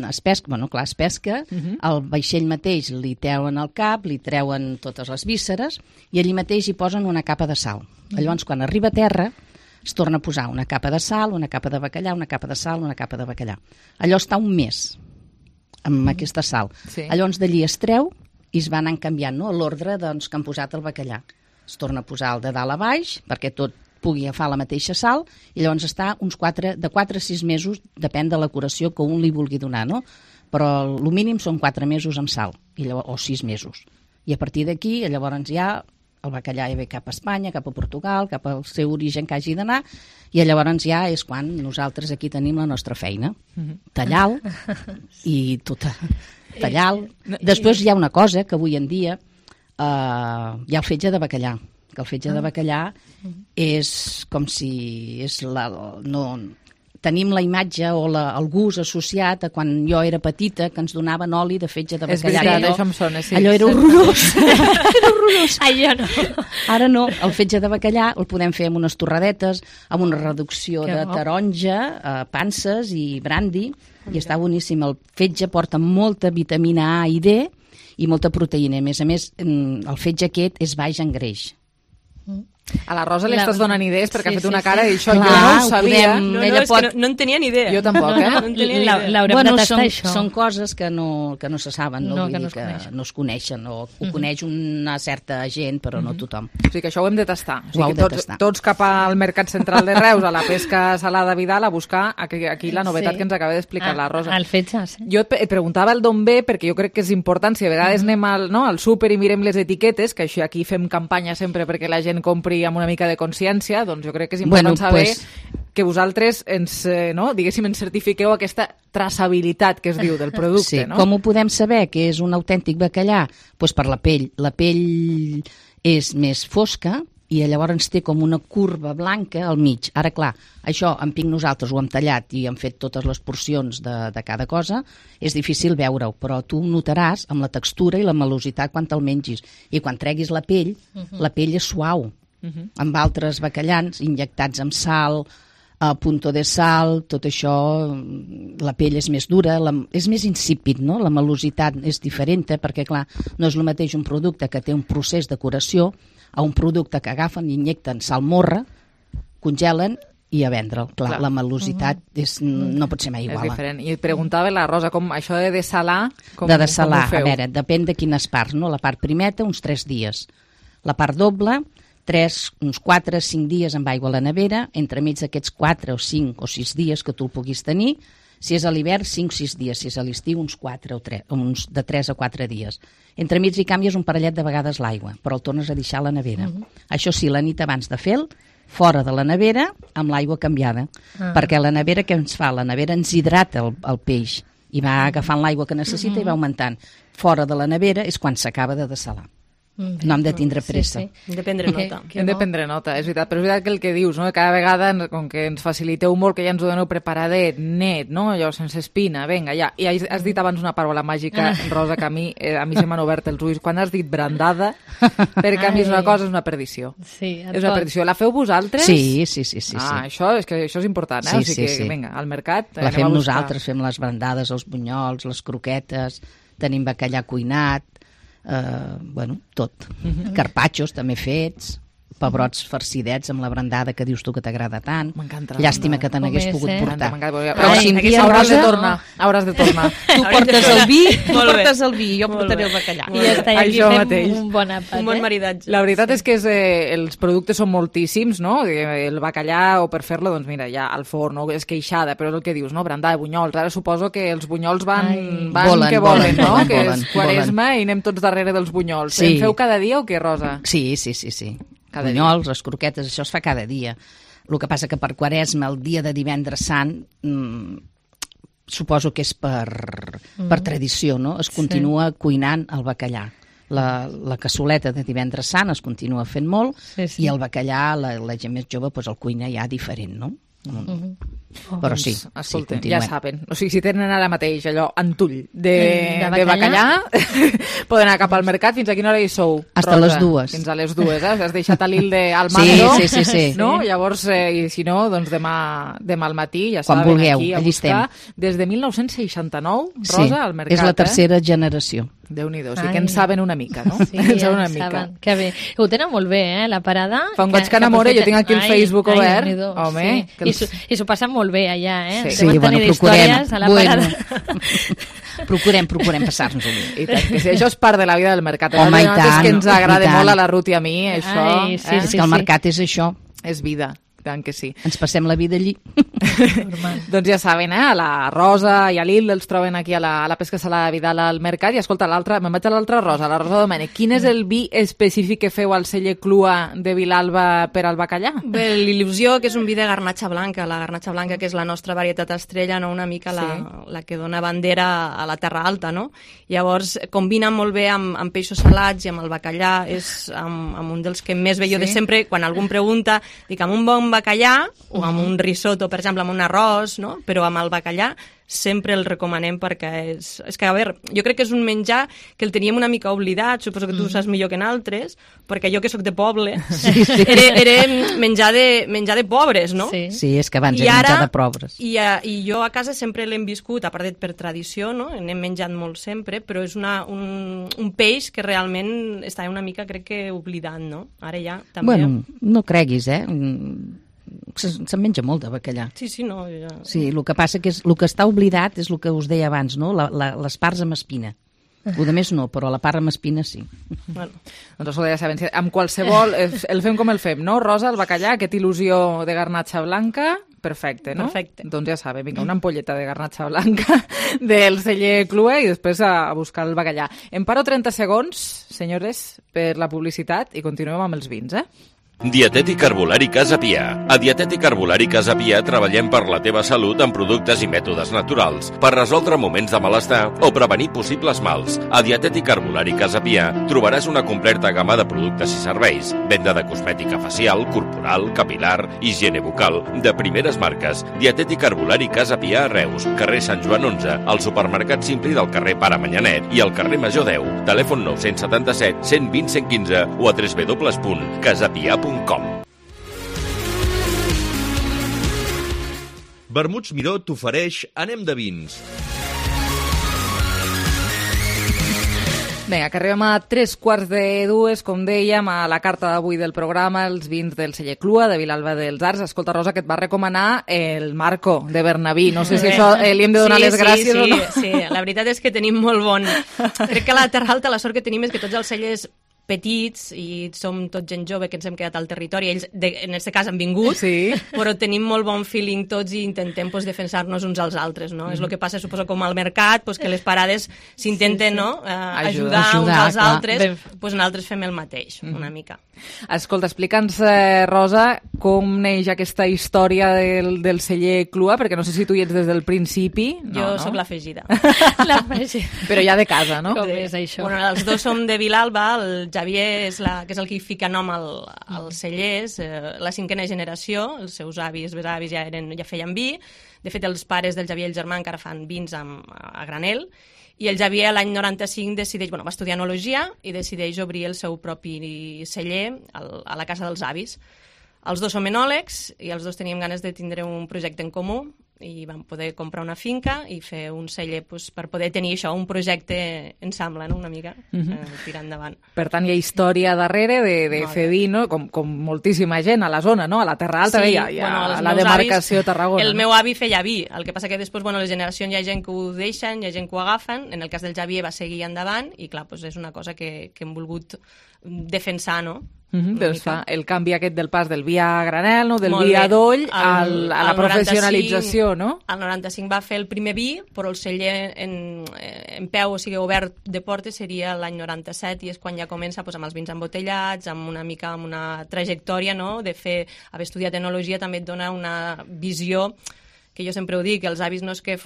es pesca, al vaixell mateix li treuen el cap, li treuen totes les vísceres i allí mateix hi posen una capa de sal. Llavors, quan arriba a terra, es torna a posar una capa de sal, una capa de bacallà, una capa de sal, una capa de bacallà. Allò està un mes amb aquesta sal. Llavors d'allí es treu i es va anar canviant, no? L'ordre que han posat el bacallà. es torna a posar el de dalt a baix perquè tot pugui agafar la mateixa sal i llavors està de 4 a 6 mesos, depèn de la curació que un li vulgui donar, no? Però el mínim són 4 mesos amb sal, o 6 mesos. I a partir d'aquí, llavors ja el bacallà ja ve cap a Espanya, cap a Portugal, cap al seu origen que hagi d'anar, i llavors ja és quan nosaltres aquí tenim la nostra feina. Tallar-lo i tallar-lo. Després hi ha una cosa que avui en dia hi ha el fetge de bacallà, que el fetge de bacallà és com si tenim la imatge o el gust associat a quan jo era petita, que ens donaven oli de fetge de bacallà. És veritat, això em sona, sí. Allò era horrorós. Era horrorós. Allò no. Ara no, el fetge de bacallà el podem fer amb unes torradetes, amb una reducció de taronja, panses i brandy, i està boníssim. El fetge porta molta vitamina A i D i molta proteïna. A més, el fetge aquest és baix en greix. A la Rosa li estàs donant idees perquè ha fet una cara i això jo no ho sabia. És que no en tenia ni idea. Jo tampoc, L'haurem de tastar, això. Són coses que no se saben, que no es coneixen, o ho coneix una certa gent, però no tothom. O sigui que això ho hem de tastar. O sigui, tots cap al Mercat Central de Reus, a la pesca salada Vidal, a buscar aquí la novetat que ens acaba d'explicar la Rosa. El fetge, sí. Jo et preguntava el d'on ve, perquè jo crec que és important, si a vegades anem al súper i mirem les etiquetes, que això aquí fem campanya sempre perquè la gent compri amb una mica de consciència, doncs jo crec que és important saber que vosaltres ens certifiqueu aquesta traçabilitat que es diu del producte. Sí, com ho podem saber que és un autèntic bacallà? Doncs per la pell. La pell és més fosca i llavors té com una curva blanca al mig. Ara, clar, això en Pic nosaltres ho hem tallat i hem fet totes les porcions de cada cosa, és difícil veure-ho, però tu notaràs amb la textura i la melositat quan te'l mengis. I quan treguis la pell és suau. Amb altres bacallans injectats amb sal, punto de sal, tot això, la pell és més dura, és més insípid, no? La melositat és diferent, perquè clar, no és el mateix un producte que té un procés de curació a un producte que agafen i injecten salmorra, congelen i a vendre'l. Clar, la melositat no pot ser mai igual. És diferent. I et preguntava la Rosa, com això de dessalar, com ho feu? A veure, depèn de quines parts, no? La part primeta, uns 3 dies. La part doble, uns 4 o 5 dies amb aigua a la nevera, entremig d'aquests 4 o 5 o 6 dies que tu el puguis tenir. Si és a l'hivern, 5 o 6 dies. Si és a l'estiu, uns 3 o 4 dies. Entremig hi canvies un parellet de vegades l'aigua, però el tornes a deixar a la nevera. Això sí, la nit abans de fer-lo, fora de la nevera, amb l'aigua canviada. Perquè la nevera, què ens fa? La nevera ens hidrata el peix i va agafant l'aigua que necessita i va augmentant. Fora de la nevera és quan s'acaba de dessalar. No hem de tindre pressa. Hem de prendre nota. Hem de prendre nota, és veritat. Però és veritat que el que dius, no? Cada vegada, com que ens faciliteu molt, que ja ens ho doneu preparadet, net, no? Allò sense espina, vinga, ja. I has dit abans una paraula màgica, Rosa, que a mi se m'han obert els ulls. Quan has dit brandada, perquè a mi és una cosa, és una perdició. Sí, és una perdició. La feu vosaltres? Sí. Això és important, eh? O sigui que, vinga, al mercat la fem nosaltres, fem les brandades, els bunyols, les croquetes, tenim bacallà cuinat, tot. Carpaccios també fets, pebrots farcidets amb la brandada que dius tu que t'agrada tant. M'encanta. Llàstima que te n'hagués pogut portar. Però si un dia hauràs de tornar. Tu portes el vi, jo portaré el bacallà. I ja està, aquí fem un bon àpat. Un bon maridatge. La veritat és que els productes són moltíssims, no? El bacallà, o per fer-lo, doncs mira, ja al forn, no? És queixada, però és el que dius, no? Brandada, bunyols. Ara suposo que els bunyols van que volen, no? Que és Quaresma i anem tots darrere dels bunyols. En feu cada dia o què, Rosa? Sí. Bunyols, les croquetes, això es fa cada dia. El que passa que per Quaresma, el dia de Divendres Sant, suposo que és per tradició, no? Es continua cuinant el bacallà. La cassoleta de Divendres Sant es continua fent molt i el bacallà, la gent més jove, el cuina ja diferent, no? Però sí, escolta, ja saben, o sigui, si tenen ara mateix allò antull de bacallà poden anar cap al mercat. Fins a quina hora hi sou? Hasta les 2. Fins a les 2, has deixat a l'Ilde al mando, sí. No? Llavors, i si no, doncs demà al matí, ja quan saben, vulgueu, aquí a buscar des de 1969, Rosa, al mercat. És la tercera generació. Déu-n'hi-do, sí que en saben una mica, no? Sí, en saben. Que bé. Ho tenen molt bé, la parada. Fa un goig que enamora, jo tinc aquí el Facebook obert. Home, sí. I s'ho passen molt bé allà, Sí, bueno, procurem. Procurem passar-nos-ho bé. I tant, que sí, això és part de la vida del mercat. Home, i tant. És que ens agrada molt a la Ruth i a mi, això. És que el mercat és això. És vida. Tant que sí. Ens passem la vida allí. Doncs ja saben, a la Rosa i a l'Il els troben aquí a la Pesca Salada de Vidal al mercat. I escolta, me'n vaig a l'altra Rosa, la Rosa Domènech. Quin és el vi específic que feu al celler Clua de Vilalba per al bacallà? Bé, l'il·lusió, que és un vi de garnatxa blanca. La garnatxa blanca, que és la nostra varietat estrella, no? Una mica la que dona bandera a la Terra Alta, no? Llavors, combina molt bé amb peixos salats i amb el bacallà. És amb un dels que més bé jo de sempre, quan algú em pregunta, dic, amb un bon bacallà o amb un risotto, per exemple, amb un arròs, no? Però amb el bacallà sempre el recomanem perquè és que, a veure, jo crec que és un menjar que el teníem una mica oblidat, suposo que tu saps millor que en altres, perquè jo que sóc de poble, era menjar de pobres, no? Sí, és que abans era menjar de pobres. I jo a casa sempre l'hem viscut, a part per tradició, no? N'hem menjat molt sempre, però és un peix que realment està una mica, crec que, oblidat, no? Ara ja també... Bueno, no creguis, se'n menja molt de bacallà. Sí, no. Ja... Sí, el que passa que el que està oblidat és el que us deia abans, no? Les parts amb espina. Ho de més no, però la part amb espina sí. Bueno, doncs ja sabem, amb qualsevol, el fem com el fem, no? Rosa, el bacallà, aquesta il·lusió de garnatxa blanca, perfecte, no? Perfecte. Doncs ja sabem, vinga, una ampolleta de garnatxa blanca del celler Clua i després a buscar el bacallà. Em paro 30 segons, senyores, per la publicitat i continuem amb els vins, Dietètic Herbolari Casa Pia. A Dietètic Herbolari Casa Pia treballem per la teva salut amb productes i mètodes naturals, per resoldre moments de malestar o prevenir possibles mals. A Dietètic Herbolari Casa Pia trobaràs una completa gamma de productes i serveis, venda de cosmètica facial, corporal, capilar, higiene bucal, de primeres marques. Dietètic Herbolari Casa Pia a Reus, carrer Sant Joan 11, al supermercat Simpli del carrer Pare Manyanet i al carrer Major 10. Telèfon 977 120 115 o a www.casapia.com. Vermuts Miró t'ofereix Anem de vins. Vinga, que arribem a 3:45, com dèiem, a la carta d'avui del programa, els vins del celler Clua, de Vilalba dels Arcs. Escolta, Rosa, que et va recomanar el Marco, de Bernabí. No sé si això li hem de donar les gràcies o no. Sí, la veritat és que tenim molt bon... Crec que a la Terra Alta la sort que tenim és que tots els cellers petits i som tot gent jove que ens hem quedat al territori, ells en aquest cas han vingut, però tenim molt bon feeling tots i intentem defensar-nos uns als altres, no? És el que passa, suposo, com al mercat, que les parades s'intenten ajudar uns als altres, nosaltres fem el mateix, una mica. Escolta, explica'ns, Rosa, com neix aquesta història del celler Clua, perquè no sé si tu hi ets des del principi. Jo sóc l'afegida. Però ja de casa, no? Com és això? Bueno, els dos som de Vilalba, el Javier que és el que fica nom al celler, és la 5a generació, els seus avis, besavis ja feien vi. De fet, els pares del Javier i el germà encara fan vins a granel. I el Javier l'any 95 va estudiar enologia i decideix obrir el seu propi celler a la casa dels avis. Els dos som enòlegs i els dos teníem ganes de tindre un projecte en comú i vam poder comprar una finca i fer un celler per poder tenir això, un projecte ensemble, no? Una mica, tirar endavant. Per tant, hi ha història darrere de fer vi, no? Com moltíssima gent a la zona, no? A la Terra Alta, hi ha la demarcació Tarragona. El meu avi feia vi, el que passa que després, les generacions hi ha gent que ho deixen, hi ha gent que ho agafen, en el cas del Javier va seguir endavant i clar, és una cosa que hem volgut defensar, no? Doncs fa el canvi aquest del pas del vi a granel, no? Del vi a doll a la professionalització, no? El 95 va fer el primer vi, però el celler en peu, o sigui, obert de portes, seria l'any 97 i és quan ja comença amb els vins embotellats, amb una trajectòria, no? De haver estudiat enologia també et dona una visió que jo sempre ho dic, els avis no és que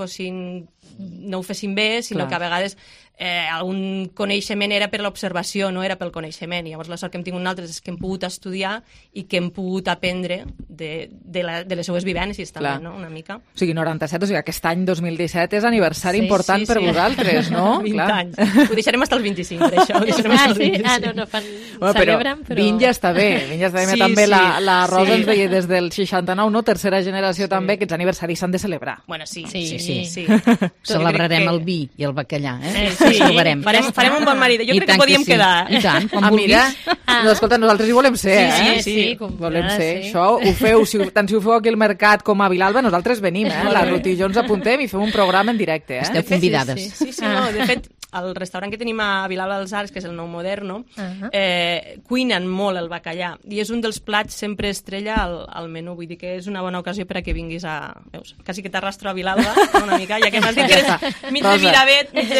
no ho fessin bé, sinó que a vegades algun coneixement era per l'observació, no era pel coneixement. Llavors la sort que hem tingut nosaltres és que hem pogut estudiar i que hem pogut aprendre de les seues vivències també, no? Una mica. O sigui, 97, o sigui, aquest any 2017 és aniversari important per vosaltres, no? 20 anys. Ho deixarem fins als 25, per això. No fan... celebren, però... Vin ja està bé, també la Rosa ens deia des del 69, no? Tercera generació també, que els aniversaris s'han de celebrar. Bueno, sí. Celebrarem el vi i el bacallà, Sí, ens trobarem. Farem un bon marit. Jo crec que podíem quedar. I tant, quan mira, no, escolta, nosaltres hi volem ser, Sí, volem ser. Això ho feu, tant si ho feu aquí al mercat com a Vilalba, nosaltres venim, La Ruth i jo ens apuntem i fem un programa en directe. Esteu convidades. Sí, no, de fet, el restaurant que tenim a Vilalba dels Arcs, que és el Nou Moderno, cuinen molt el bacallà i és un dels plats sempre estrella al menú, vull dir que és una bona ocasió per a que vinguis a... Veus? Quasi que t'arrastro a Vilalba una mica, ja que m'has dit que eres mig de Miravet, mig de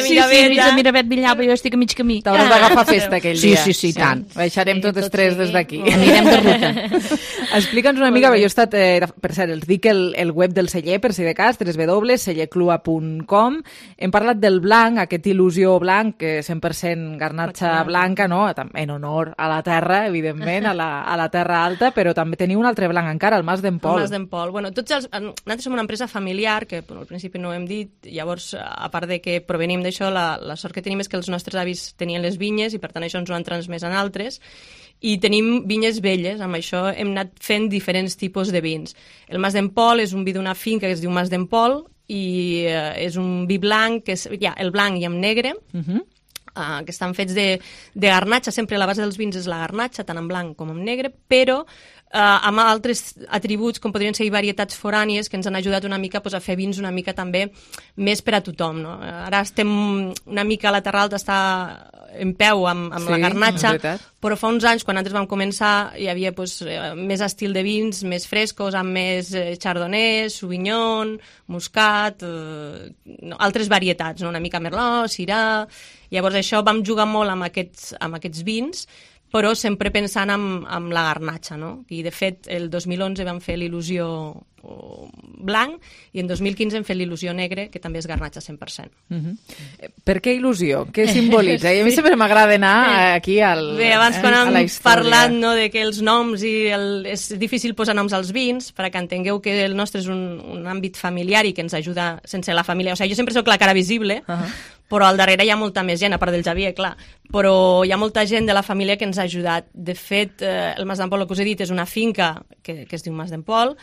Miravet, Vilalba, jo estic a mig camí. T'hauràs d'agafar festa aquell dia. Sí, tant. Baixarem totes tres des d'aquí. Anirem de ruta. Explica'ns una mica, jo he estat, per cert, els dic el web del celler, per si de cas, www.cellerclua.com. Hem parlat del blanc, aquest il·lusió blanc, que 100% garnatxa blanca, no? En honor a la terra, evidentment, a la terra alta, però també teniu un altre blanc encara, el Mas d'en Pol. El Mas d'en Pol. Bueno, nosaltres som una empresa familiar, que al principi no ho hem dit, llavors, a part de que provenim d'això, la sort que tenim és que els nostres avis tenien les vinyes i per tant això ens ho han transmès en altres, i tenim vinyes velles, amb això hem anat fent diferents tipus de vins. El Mas d'en Pol és un vi d'una finca que es diu Mas d'en Pol, i és un vi blanc, que és el blanc i amb negre, que estan fets de garnatxa, sempre la base dels vins és la garnatxa, tant en blanc com en negre, però amb altres atributs com podrien ser varietats forànies que ens han ajudat una mica a fer vins una mica també més per a tothom. No? Ara estem una mica a la Terra Alta, està en peu amb la garnatxa, però fa uns anys, quan nosaltres vam començar, hi havia més estil de vins, més frescos, amb més chardonnay, sauvignon, muscat, altres varietats, una mica merlot, syrah. Llavors això vam jugar molt amb aquests vins, però sempre pensant en la garnatxa, no? I de fet el 2011 vam fer l'il·lusió blanc i en 2015 hem fet l'il·lusió negre, que també és garnatxa 100%. Per què il·lusió? Què simbolitza? I a mi sempre m'agrada anar aquí a la història. Bé, abans quan hem parlat de que els noms és difícil posar noms als vins, perquè entengueu que el nostre és un àmbit familiar i que ens ajuda sense la família. O sigui, jo sempre soc la cara visible, però al darrere hi ha molta més gent, a part del Xavier, clar. Però hi ha molta gent de la família que ens ha ajudat. De fet, el Mas d'en Pol, el que us he dit, és una finca que es diu Mas d'en Pol.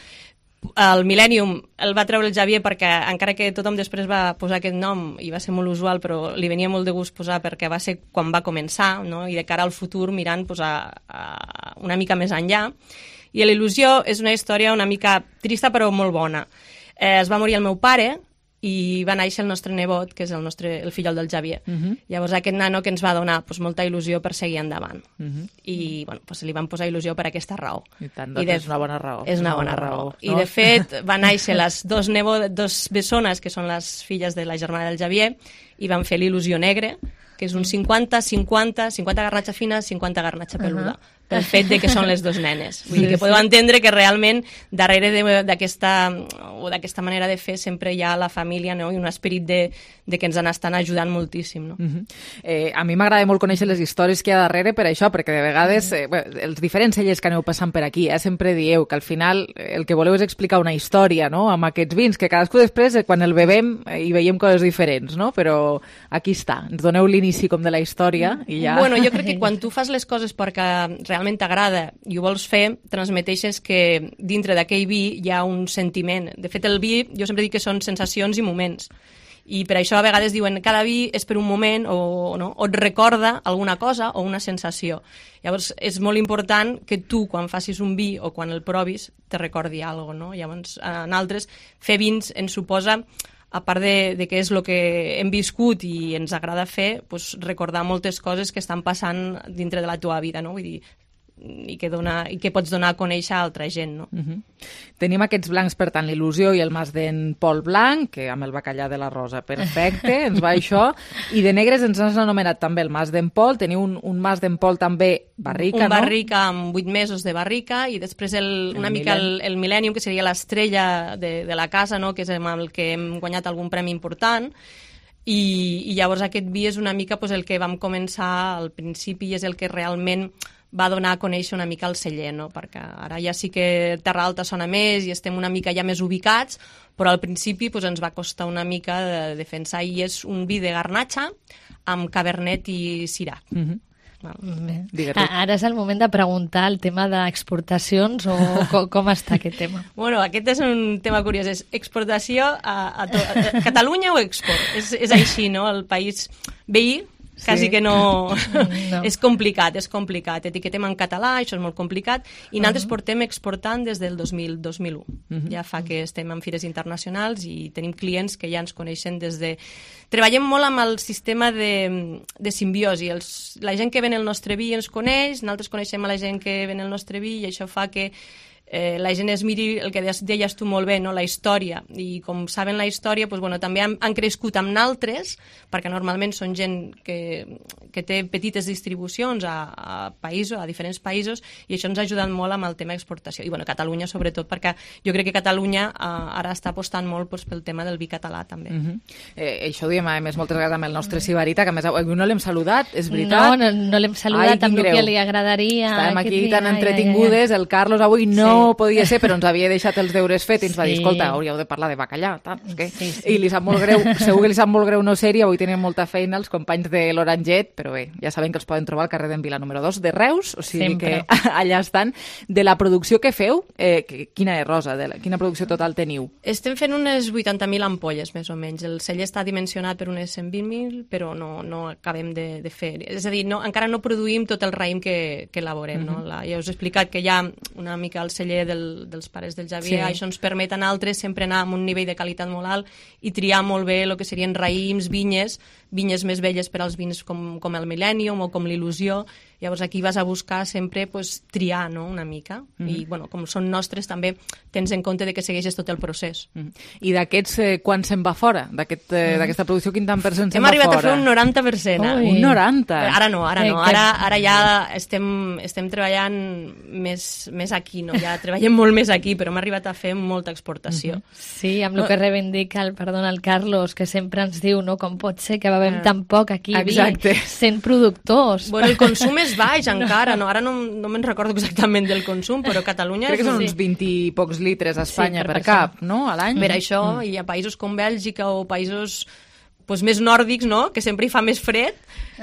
El Millennium el va treure el Xavier perquè, encara que tothom després va posar aquest nom i va ser molt usual, però li venia molt de gust posar perquè va ser quan va començar, no? I de cara al futur mirant una mica més enllà. I l'il·lusió és una història una mica trista però molt bona. Es va morir el meu pare i va néixer el nostre nebot, que és el fillol del Xavier. Llavors aquest nano que ens va donar molta il·lusió per seguir endavant. I li van posar il·lusió per aquesta raó. I tant, és una bona raó. És una bona raó. I de fet van néixer les dos bessones, que són les filles de la germana del Xavier, i van fer l'il·lusió negre, que és un 50-50, 50 garnatxa fina, 50 garnatxa peluda. Pel fet de que són les dos nenes. Vull dir que podeu entendre que realment darrere d'aquesta manera de fer sempre hi ha la família, no? I un esperit de que ens estan ajudant moltíssim. No? A mi m'agrada molt conèixer les històries que hi ha darrere per això, perquè de vegades els diferents cellers que aneu passant per aquí sempre dieu que al final el que voleu és explicar una història, no? Amb aquests vins, que cadascú després, quan el bevem, hi veiem coses diferents, no? Però aquí està, ens doneu l'inici com de la història i ja... Bueno, jo crec que quan tu fas les coses perquè realment t'agrada i ho vols fer, transmeteixes que dintre d'aquell vi hi ha un sentiment. De fet, el vi, jo sempre dic que són sensacions i moments. I per això a vegades diuen cada vi és per un moment o et recorda alguna cosa o una sensació. Llavors, és molt important que tu, quan facis un vi o quan el provis, te recordi alguna cosa, no? Llavors, en altres, fer vins ens suposa, a part de que és el que hem viscut i ens agrada fer, recordar moltes coses que estan passant dintre de la teva vida, no? Vull dir, i que pots donar a conèixer a altra gent, no? Tenim aquests blancs, per tant, l'il·lusió i el Mas d'en Pol blanc, que amb el bacallà de la Rosa, perfecte, ens va això. I de negres ens has anomenat també el Mas d'en Pol. Teniu un Mas d'en Pol també barrica, no? Un barrica amb 8 mesos de barrica i després una mica el Millennium, que seria l'estrella de la casa, no? Que és amb el que hem guanyat algun premi important. I llavors aquest vi és una mica el que vam començar al principi i és el que realment va donar a conèixer una mica el celler, no? Perquè ara ja sí que Terra Alta sona més i estem una mica ja més ubicats, però al principi ens va costar una mica de defensar, i és un vi de garnatxa amb cabernet i syrah. Ara és el moment de preguntar el tema d'exportacions o com està aquest tema. Bueno, aquest és un tema curiós, és exportació a Catalunya o export? És així, no? El país veí quasi que no. És complicat. Etiquetem en català, això és molt complicat, i nosaltres portem exportant des del 2001. Ja fa que estem en fires internacionals i tenim clients que ja ens coneixen des de... Treballem molt amb el sistema de simbiosi. La gent que ven el nostre vi ens coneix, nosaltres coneixem a la gent que ven el nostre vi i això fa que la gent es miri el que deies tu molt bé, no? La història, i com saben la història, doncs, bueno, també han crescut amb naltres, perquè normalment són gent que té petites distribucions a països, a diferents països, i això ens ha ajudat molt amb el tema d'exportació. I bueno, Catalunya sobretot, perquè jo crec que Catalunya ara està apostant molt pel tema del vi català també. Això ho diem a més moltes vegades amb el nostre Sibarita, que a més avui no l'hem saludat, és veritat? No l'hem saludat amb el que li agradaria. Estàvem aquí tan entretingudes, el Carlos avui no podia ser, però ens havia deixat els deures fets i ens va dir, escolta, hauríeu de parlar de bacallà, i li sap molt greu, segur que li sap molt greu no ser-hi, avui tenen molta feina els companys de l'Oranget, però bé, ja saben que els poden trobar al carrer d'en Vila número 2 de Reus, o sigui que allà estan. De la producció que feu, quina és, Rosa? Quina producció total teniu? Estem fent unes 80.000 ampolles, més o menys. El celler està dimensionat per unes 120.000, però no acabem de fer. És a dir, encara no produïm tot el raïm que elaborem. Ja us he explicat que hi ha una mica el celler dels pares del Javier, això ens permet a nosaltres sempre anar amb un nivell de qualitat molt alt i triar molt bé el que serien raïms, vinyes més velles per als vins com el Millennium o com l'Il·lusió. Llavors aquí vas a buscar sempre triar una mica i com són nostres també tens en compte que segueixes tot el procés. I d'aquests, quan se'n va fora? D'aquesta producció, quin tant percent se'n va fora? Hem arribat a fer un 90%. Un 90%? Ara no. Ara ja estem treballant més aquí, no? Ja treballem molt més aquí, però hem arribat a fer molta exportació. Sí, amb el que reivindica el Carlos, que sempre ens diu com pot ser que bevem tan poc aquí sent productors. Bueno, el consum és baix encara, ara no me'n recordo exactament del consum, però Catalunya... Crec que són uns 20 i pocs litres a Espanya per cap, no?, a l'any. Per això, i a països com Bèlgica o països més nòrdics, no?, que sempre hi fa més fred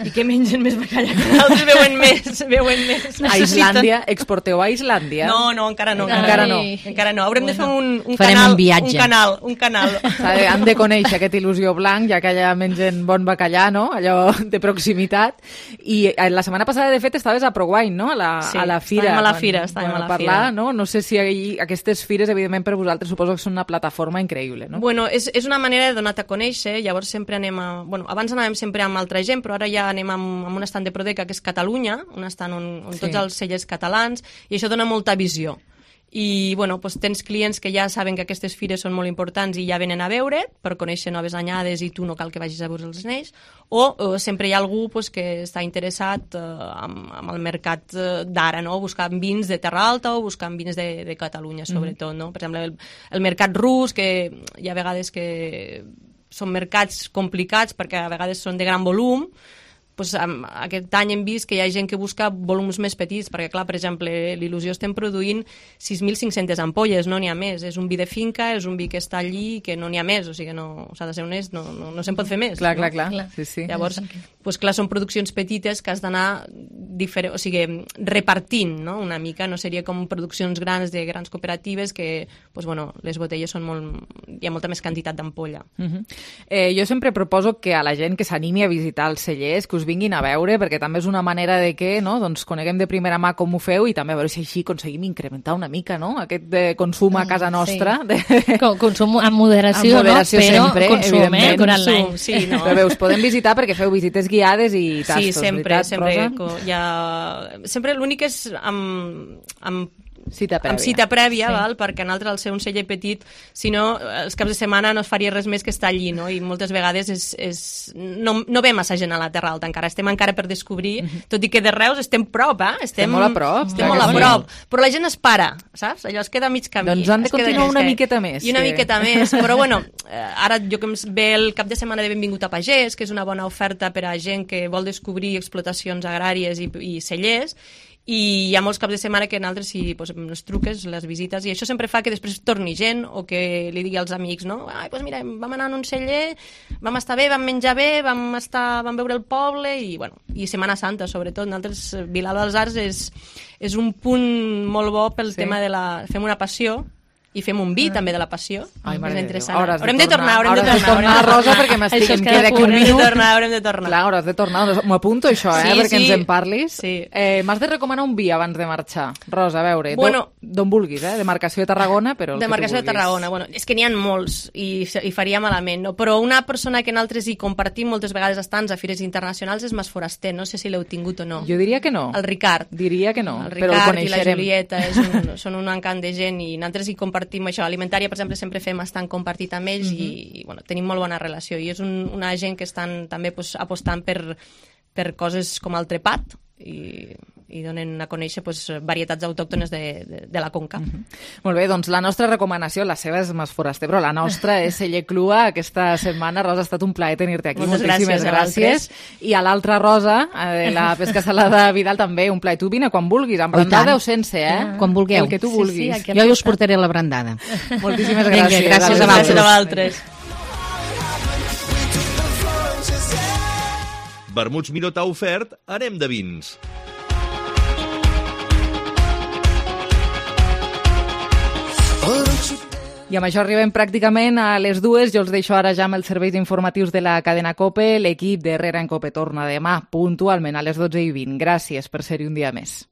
i que mengen més bacallà que d'altres veuen més. A Islàndia, exporteu a Islàndia? No, encara no. Haurem de fer un canal. Han de conèixer aquest Il·lusió blanc, ja que allà mengen bon bacallà, no?, allò de proximitat. I la setmana passada, de fet, estaves a ProWine, no?, a la fira. Estàvem a la fira. No sé si aquestes fires, evidentment, per vosaltres suposo que són una plataforma increïble, no? Bueno, és una manera de donar-te a conèixer, llavors sempre abans anàvem sempre amb altra gent, però ara ja anem amb un estand de Prodeca, que és Catalunya, un estand on tots els cellers catalans, i això dona molta visió. I tens clients que ja saben que aquestes fires són molt importants i ja venen a veure per conèixer noves anyades i tu no cal que vagis a veure els anells, o sempre hi ha algú que està interessat amb el mercat d'ara, no? Buscant vins de Terra Alta o buscant vins de Catalunya, sobretot, no? Per exemple, el mercat rus, que hi ha vegades que són mercats complicats perquè a vegades són de gran volum, aquest any hem vist que hi ha gent que busca volums més petits, perquè clar, per exemple, l'Il·lusió estem produint 6.500 ampolles, no n'hi ha més, és un vi de finca, és un vi que està allí i que no n'hi ha més, o sigui que s'ha de ser honest, no se'n pot fer més. Clar. Sí. Llavors, clar, són produccions petites que has d'anar repartint, no? Una mica, no seria com produccions grans de grans cooperatives que, les botelles són hi ha molta més quantitat d'ampolla. Jo sempre proposo que a la gent que s'animi a visitar els cellers, que us vinguin a veure, perquè també és una manera de que coneguem de primera mà com ho feu i també a veure si així aconseguim incrementar una mica aquest consum a casa nostra. Consum amb moderació, però sempre, consum durant l'any. Però bé, us podem visitar perquè feu visites guiades i tastos, sí, sempre, veritat, sempre l'únic és amb cita prèvia, perquè nosaltres, al ser un celler petit, si no, els caps de setmana no es faria res més que estar allí, no? I moltes vegades no ve massa gent a la Terra Alta encara, estem encara per descobrir, tot i que de Reus estem prop, estem molt a prop. Estem molt a prop, però la gent es para, saps? Allò es queda a mig camí. Doncs han de continuar una miqueta més. I una miqueta més, però ara jo que em ve el cap de setmana de Benvingut a Pagès, que és una bona oferta per a gent que vol descobrir explotacions agràries i cellers, i hi ha molts caps de setmana que nosaltres si posem les truques, les visites, i això sempre fa que després torni gent o que li digui als amics, no? Ai, doncs mira, vam anar a un celler, vam estar bé, vam menjar bé, vam veure el poble i, bueno, i Setmana Santa, sobretot. Nosaltres, Vilalba dels Arcs és un punt molt bo pel tema de la... Fem una passió i fem un vi també de la passió. Ai, és mare interessant. de Déu. Haurem de tornar, Rosa, perquè m'estic... Em queda aquí un minut. Haurem de tornar. Clar, hauràs de tornar. M'ho apunto, això, perquè ens en parlis. Sí. M'has de recomanar un vi abans de marxar. Rosa, a veure, d'on vulguis, demarcació de Tarragona, però el demarcació de Tarragona, bueno, és que n'hi ha molts i faria malament, no? Però una persona que nosaltres hi compartim moltes vegades estants a fires internacionals és Mas Foraster, no sé si l'heu tingut o no. Jo diria que no. El Ricard. Diria que no, el però el Ricard coneixerem. I la Julieta són un encant de gent i nosaltres hi compartim això. Alimentària, per exemple, sempre fem estant compartit amb ells i bueno, tenim molt bona relació i és una gent que estan també apostant per coses com el trepat i donen a conèixer varietats autòctones de la Conca. Molt bé, doncs la nostra recomanació, la seva és Mas Foraster, però la nostra és Celler Clua aquesta setmana. Rosa, ha estat un plaer tenir-te aquí. Moltíssimes gràcies. I a l'altra Rosa, la Pesca Salada Vidal, també un plaer. Tu vine quan vulguis, amb brandada o sense, Quan vulgueu. El que tu vulguis. Sí, jo us portaré la brandada. Moltíssimes gràcies. Gràcies a vosaltres. Vermuts Miró t'ha ofert Anem de vins. I amb això arribem pràcticament a les 2. Jo els deixo ara ja amb els serveis informatius de la cadena COPE. L'equip d'Herrera en COPE torna demà puntualment a les 12:20. Gràcies per ser-hi un dia més.